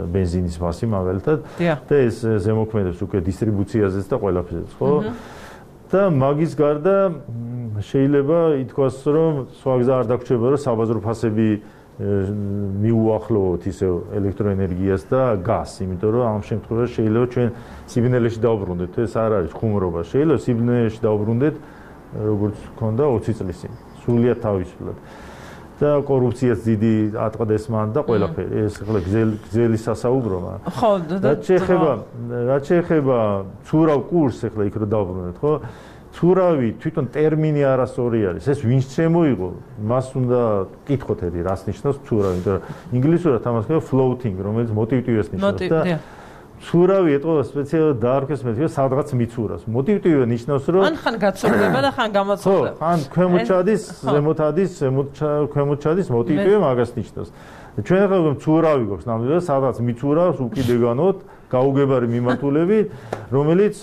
ბენზინის ფასი მაგალითად და ეს ზემოქმედებს უკვე დისტრიბუციაზეც და ყველაფერზეც, ხო? და მაგის გარდა შეიძლება ითქვას რომ სხვა გზა არ დაგვრჩება რომ საბაზრო ფასები მიუახლოვოთ ისევ ელექტროენერგიას და გაზს, იმიტომ რომ ამ შემთხვევაში შეიძლება ჩვენ სიბნელეში დავბრუნდეთ, ეს არ არის ხუმრობა, შეიძლება სიბნელეში დავბრუნდეთ როგორც ქონდა 20 წლის წინ სრულიად თავისუფლად და კორუფციაც დიდი ატყდეს მან და ყველაფერი ეს ახლა გზელი სასაუბროა ხო რაც შეეხება ცურავ კურსს ახლა იქ რო დავბრუნდეთ ხო ცურავი თვითონ ტერმინი არასწორი არის ეს ვინც შემოიღო მას უნდა კითხოთ რას ნიშნავს ცურავი იმიტომ რომ ინგლისურად ამას ქვია floating რომელიც motivity-ს ნიშნავს და ცურავი ეტყობა სპეციალურად დაარქვეს მე სადღაც მიცურავს. მოტივტივე ნიშნავს რომ ხან გაცურდება და ხან გამოცდილება. ხან ქვემოთ ჩადის, ზემოთ ადის, ქვემოთ ჩადის მოტივტივე მაგას ნიშნავს. ჩვენ ახლა მცურავი გვაქვს ნამდვილად სადღაც მიცურავს უკიდეგანოთ გაუგებარი მიმართულებით, რომელიც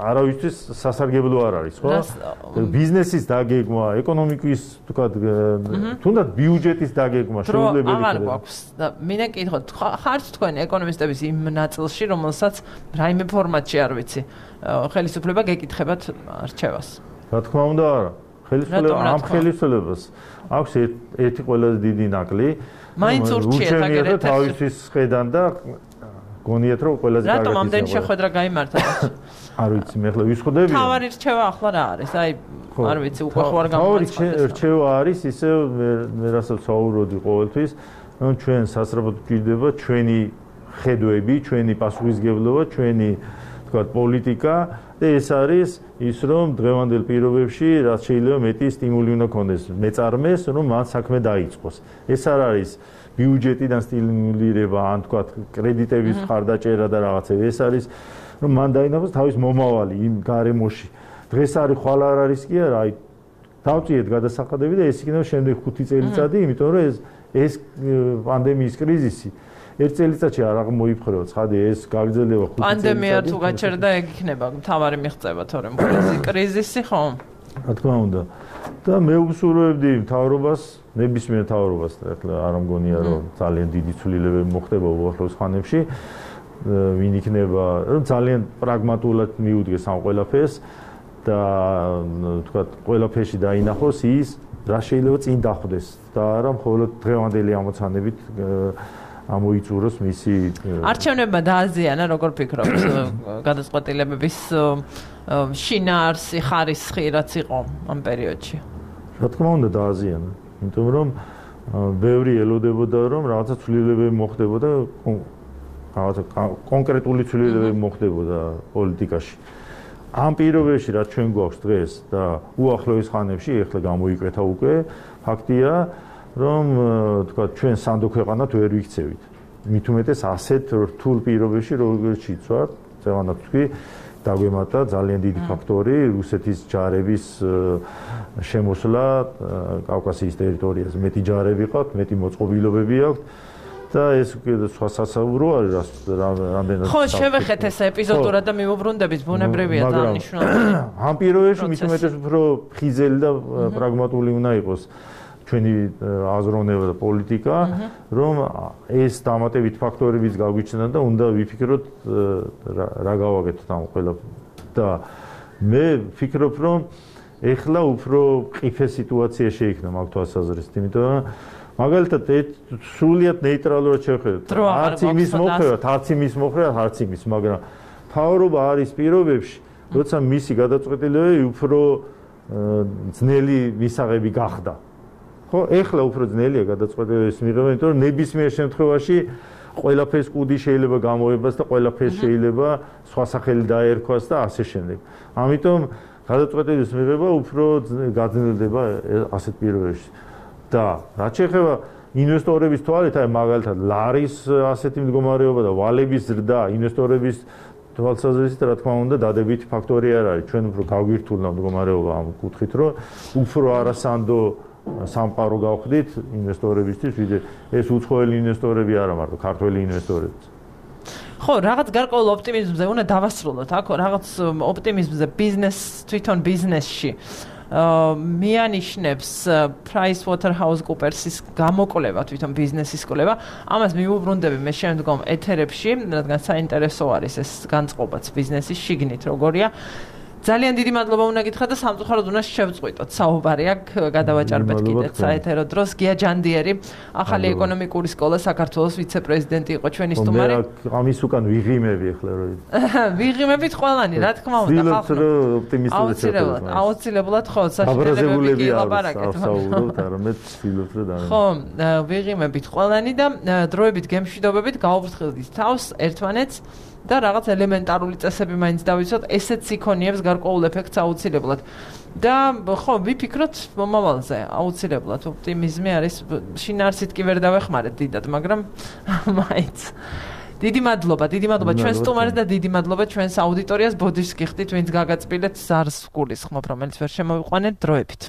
არავისთვის სასარგებლო არ არის, ხო? ბიზნესის დაგეგმა, ეკონომიკის, თქვათ, თუნდაც ბიუჯეტის დაგეგმა შეუძლებელი იქნება. აღარ გვაქვს და მინდა კითხოთ, ხართ თქვენ ეკონომისტების იმ ნაწილში, რომელსაც რაიმე ფორმატში არ ვიცი, ხელისუფლება გეკითხებათ არჩევას. რა თქმა უნდა, არა. ამ ხელისუფლებას აქვს ერთი ყველაზე დიდი ნაკლი. მაინც ურჩიეთ აგერეთ თავისთვის ხედან და გონიათ რომ ყველაზე კარგად რატომ ამდენი შეხვედრა გაიმართა? არ ვიცი, მე ახლა ვისხდები. თავარი რჩევა ახლა რა არის? აი, არ ვიცი, უკვე ხوار გამოაცხადეს. თავარი რჩევა არის ისე მე რასაც საუბრობდი ყოველთვის, რომ ჩვენ სასწრაფოდ გვჭირდება ჩვენი ხედვები, ჩვენი პასუხისგებლობა, ჩვენი თქვათ პოლიტიკა და ეს არის ის რომ დღევანდელ პირობებში რაც შეიძლება მეტი სტიმული უნდა ქონდეს მეწარმეს, რომ მან საქმე დაიწყოს. ეს არ არის ბიუჯეტიდან სტიმულირება, ან თქვათ კრედიტების მხარდაჭერა და რაღაცები. ეს არის რომ მან დაინახოს თავის მომავალი იმ გარემოში. დღეს არის ხვალ არ არის კი არა, აი დავწიეთ გადასახადები და ეს იქნება შემდეგ 5 წელიწადი, იმიტომ რომ ეს პანდემიის კრიზისი ერთ წელიწადში არ აღმოიფხვრება, ცხადი ეს გაგრძელება 5 წელიწადი. პანდემია თუ გაჩერდა, ეგ იქნება თავარი მიღწევა, თორემ კრიზისი ხო? რა თქმა უნდა. და მე ვუსურვებდი მთავრობას, ნებისმიერ მთავრობას, ახლა არ მგონია რომ ძალიან დიდი ცვლილებები მოხდება უახლოეს ხანებში. ვინ იქნება, რომ ძალიან პრაგმატულად მიუდგეს ამ ყველაფერს და თქვათ ყველაფერში დაინახოს ის, რა შეიძლება წინ დახვდეს და არა მხოლოდ დღევანდელი ამოცანებით ამოიწუროს მისი არჩევნებმა დააზიანა, როგორ ფიქრობთ, გადაწყვეტილებების შინაარსი, ხარისხი რაც იყო ამ პერიოდში? რა თქმა უნდა დააზიანა, იმიტომ რომ ბევრი ელოდებოდა რომ რაღაცა ცვლილებები მოხდებოდა, რაღაცა კონკრეტული ცვლილებები მოხდებოდა პოლიტიკაში. ამ პირობებში რაც ჩვენ გვაქვს დღეს და უახლოეს ხანებში, ეხლა გამოიკვეთა უკვე, ფაქტია რომ თქვა ჩვენ სანდო ქვეყანად ვერ ვიქცევით. მით უმეტეს ასეთ რთულ პირობებში როგორც იცვარ, ზევანად თქვი, დაგვემატა ძალიან დიდი ფაქტორი რუსეთის ჯარების შემოსვლა კავკასიის ტერიტორიაზე. მეტი ჯარები ყავთ, მეტი მოწყობილობები აქვთ და ეს უკვე სხვა სასაუბრო არის რამდენად. ხო, შევეხეთ ეს ეპიზოდურად და მივუბრუნდებით, ბუნებრივია დანიშნულება. ამ პირობებში მით უმეტეს უფრო ხიზელი და პრაგმატული უნდა იყოს ჩვენი აზროვნება და პოლიტიკა, რომ ეს დამატებით ფაქტორებიც გაგვიჩნდა და უნდა ვიფიქროთ რა გავაკეთოთ ამ ყველაფერს. და მე ვფიქრობ, რომ ეხლა უფრო ყიფე სიტუაცია შეიქმნა მაგ თვალსაზრისით, იმიტომ რომ მაგალითად სრულიად ნეიტრალურად შევხედოთ. არც იმის მოხდევათ, არც იმის მოხდევათ, არც იმის, მაგრამ თავრობა არის პირობებში, როცა მისი გადაწყვეტილებები უფრო ძნელი მისაღები გახდა. ხო, ეხლა უფრო ძნელია გადაწყვეტილებების მიღება, იმიტომ რომ ნებისმიერ შემთხვევაში ყველაფერს კუდი შეიძლება გამოებას და ყველაფერს შეიძლება სხვა სახელი დაერქვას და ასე შემდეგ. ამიტომ გადაწყვეტილების მიღება უფრო გაძნელდება ასეთ პირობებში. და რაც შეეხება ინვესტორების თვალით, აი მაგალითად ლარის ასეთი მდგომარეობა და ვალების ზრდა ინვესტორების თვალსაზრისით, რა თქმა უნდა, დადებითი ფაქტორი არ არის. ჩვენ უფრო გაგვირთულნა მდგომარეობა ამ კუთხით, რომ უფრო არასანდო სამყარო გავხდით ინვესტორებისთვის, ვიდრე ეს უცხოელი ინვესტორები არა მარტო ქართველი ინვესტორები. ხო, რაღაც გარკვეულ ოპტიმიზმზე უნდა დავასრულოთ. აქ რაღაც ოპტიმიზმზე თვითონ ბიზნესში მიანიშნებს PricewaterhouseCoopersის გამოკვლევა, თვითონ ბიზნესის კვლევა. ამას მივუბრუნდები მე შემდგომ ეთერებში, რადგან საინტერესო არის ეს განწყობაც ბიზნესის შიგნით როგორია. ძალიან დიდი მადლობა უნდა გითხრათ და სამწუხაროდ უნდა შევწყვიტოთ საუბარი აქ გადავაჭარბეთ კიდეც საეთერო დროს. გია ჯანდიერი, ახალი ეკონომიკური სკოლა საქართველოს ვიცე-პრეზიდენტი იყო ჩვენი სტუმარი. ამის უკან ვიღიმები ახლა რო ვიღიმებით ყველანი, რა თქმა უნდა, აუცილებლად ხო, საშინელებები გილაპარაკეთ. ხო, ვიღიმებით ყველანი და დროებით გემშვიდობებით გავუფრთხილდით თავს ერთმანეთს. და რაღაც ელემენტარული წესები მაინც დავიცვათ, ესეც იქონიებს გარკვეულ ეფექტს აუცილებლად. და ხო, ვიფიქროთ მომავალზე, აუცილებლად ოპტიმიზმი არის, შინაარსით კი ვერ დავეხმარეთ დიდად, მაგრამ მაინც. დიდი მადლობა ჩვენს სტუმარს და დიდი მადლობა ჩვენს აუდიტორიას. ბოდიშს გიხდით, ვინც გაგაწბილეთ ზარს გულისხმობ, რომელიც ვერ შემოვიყვანეთ დროებით.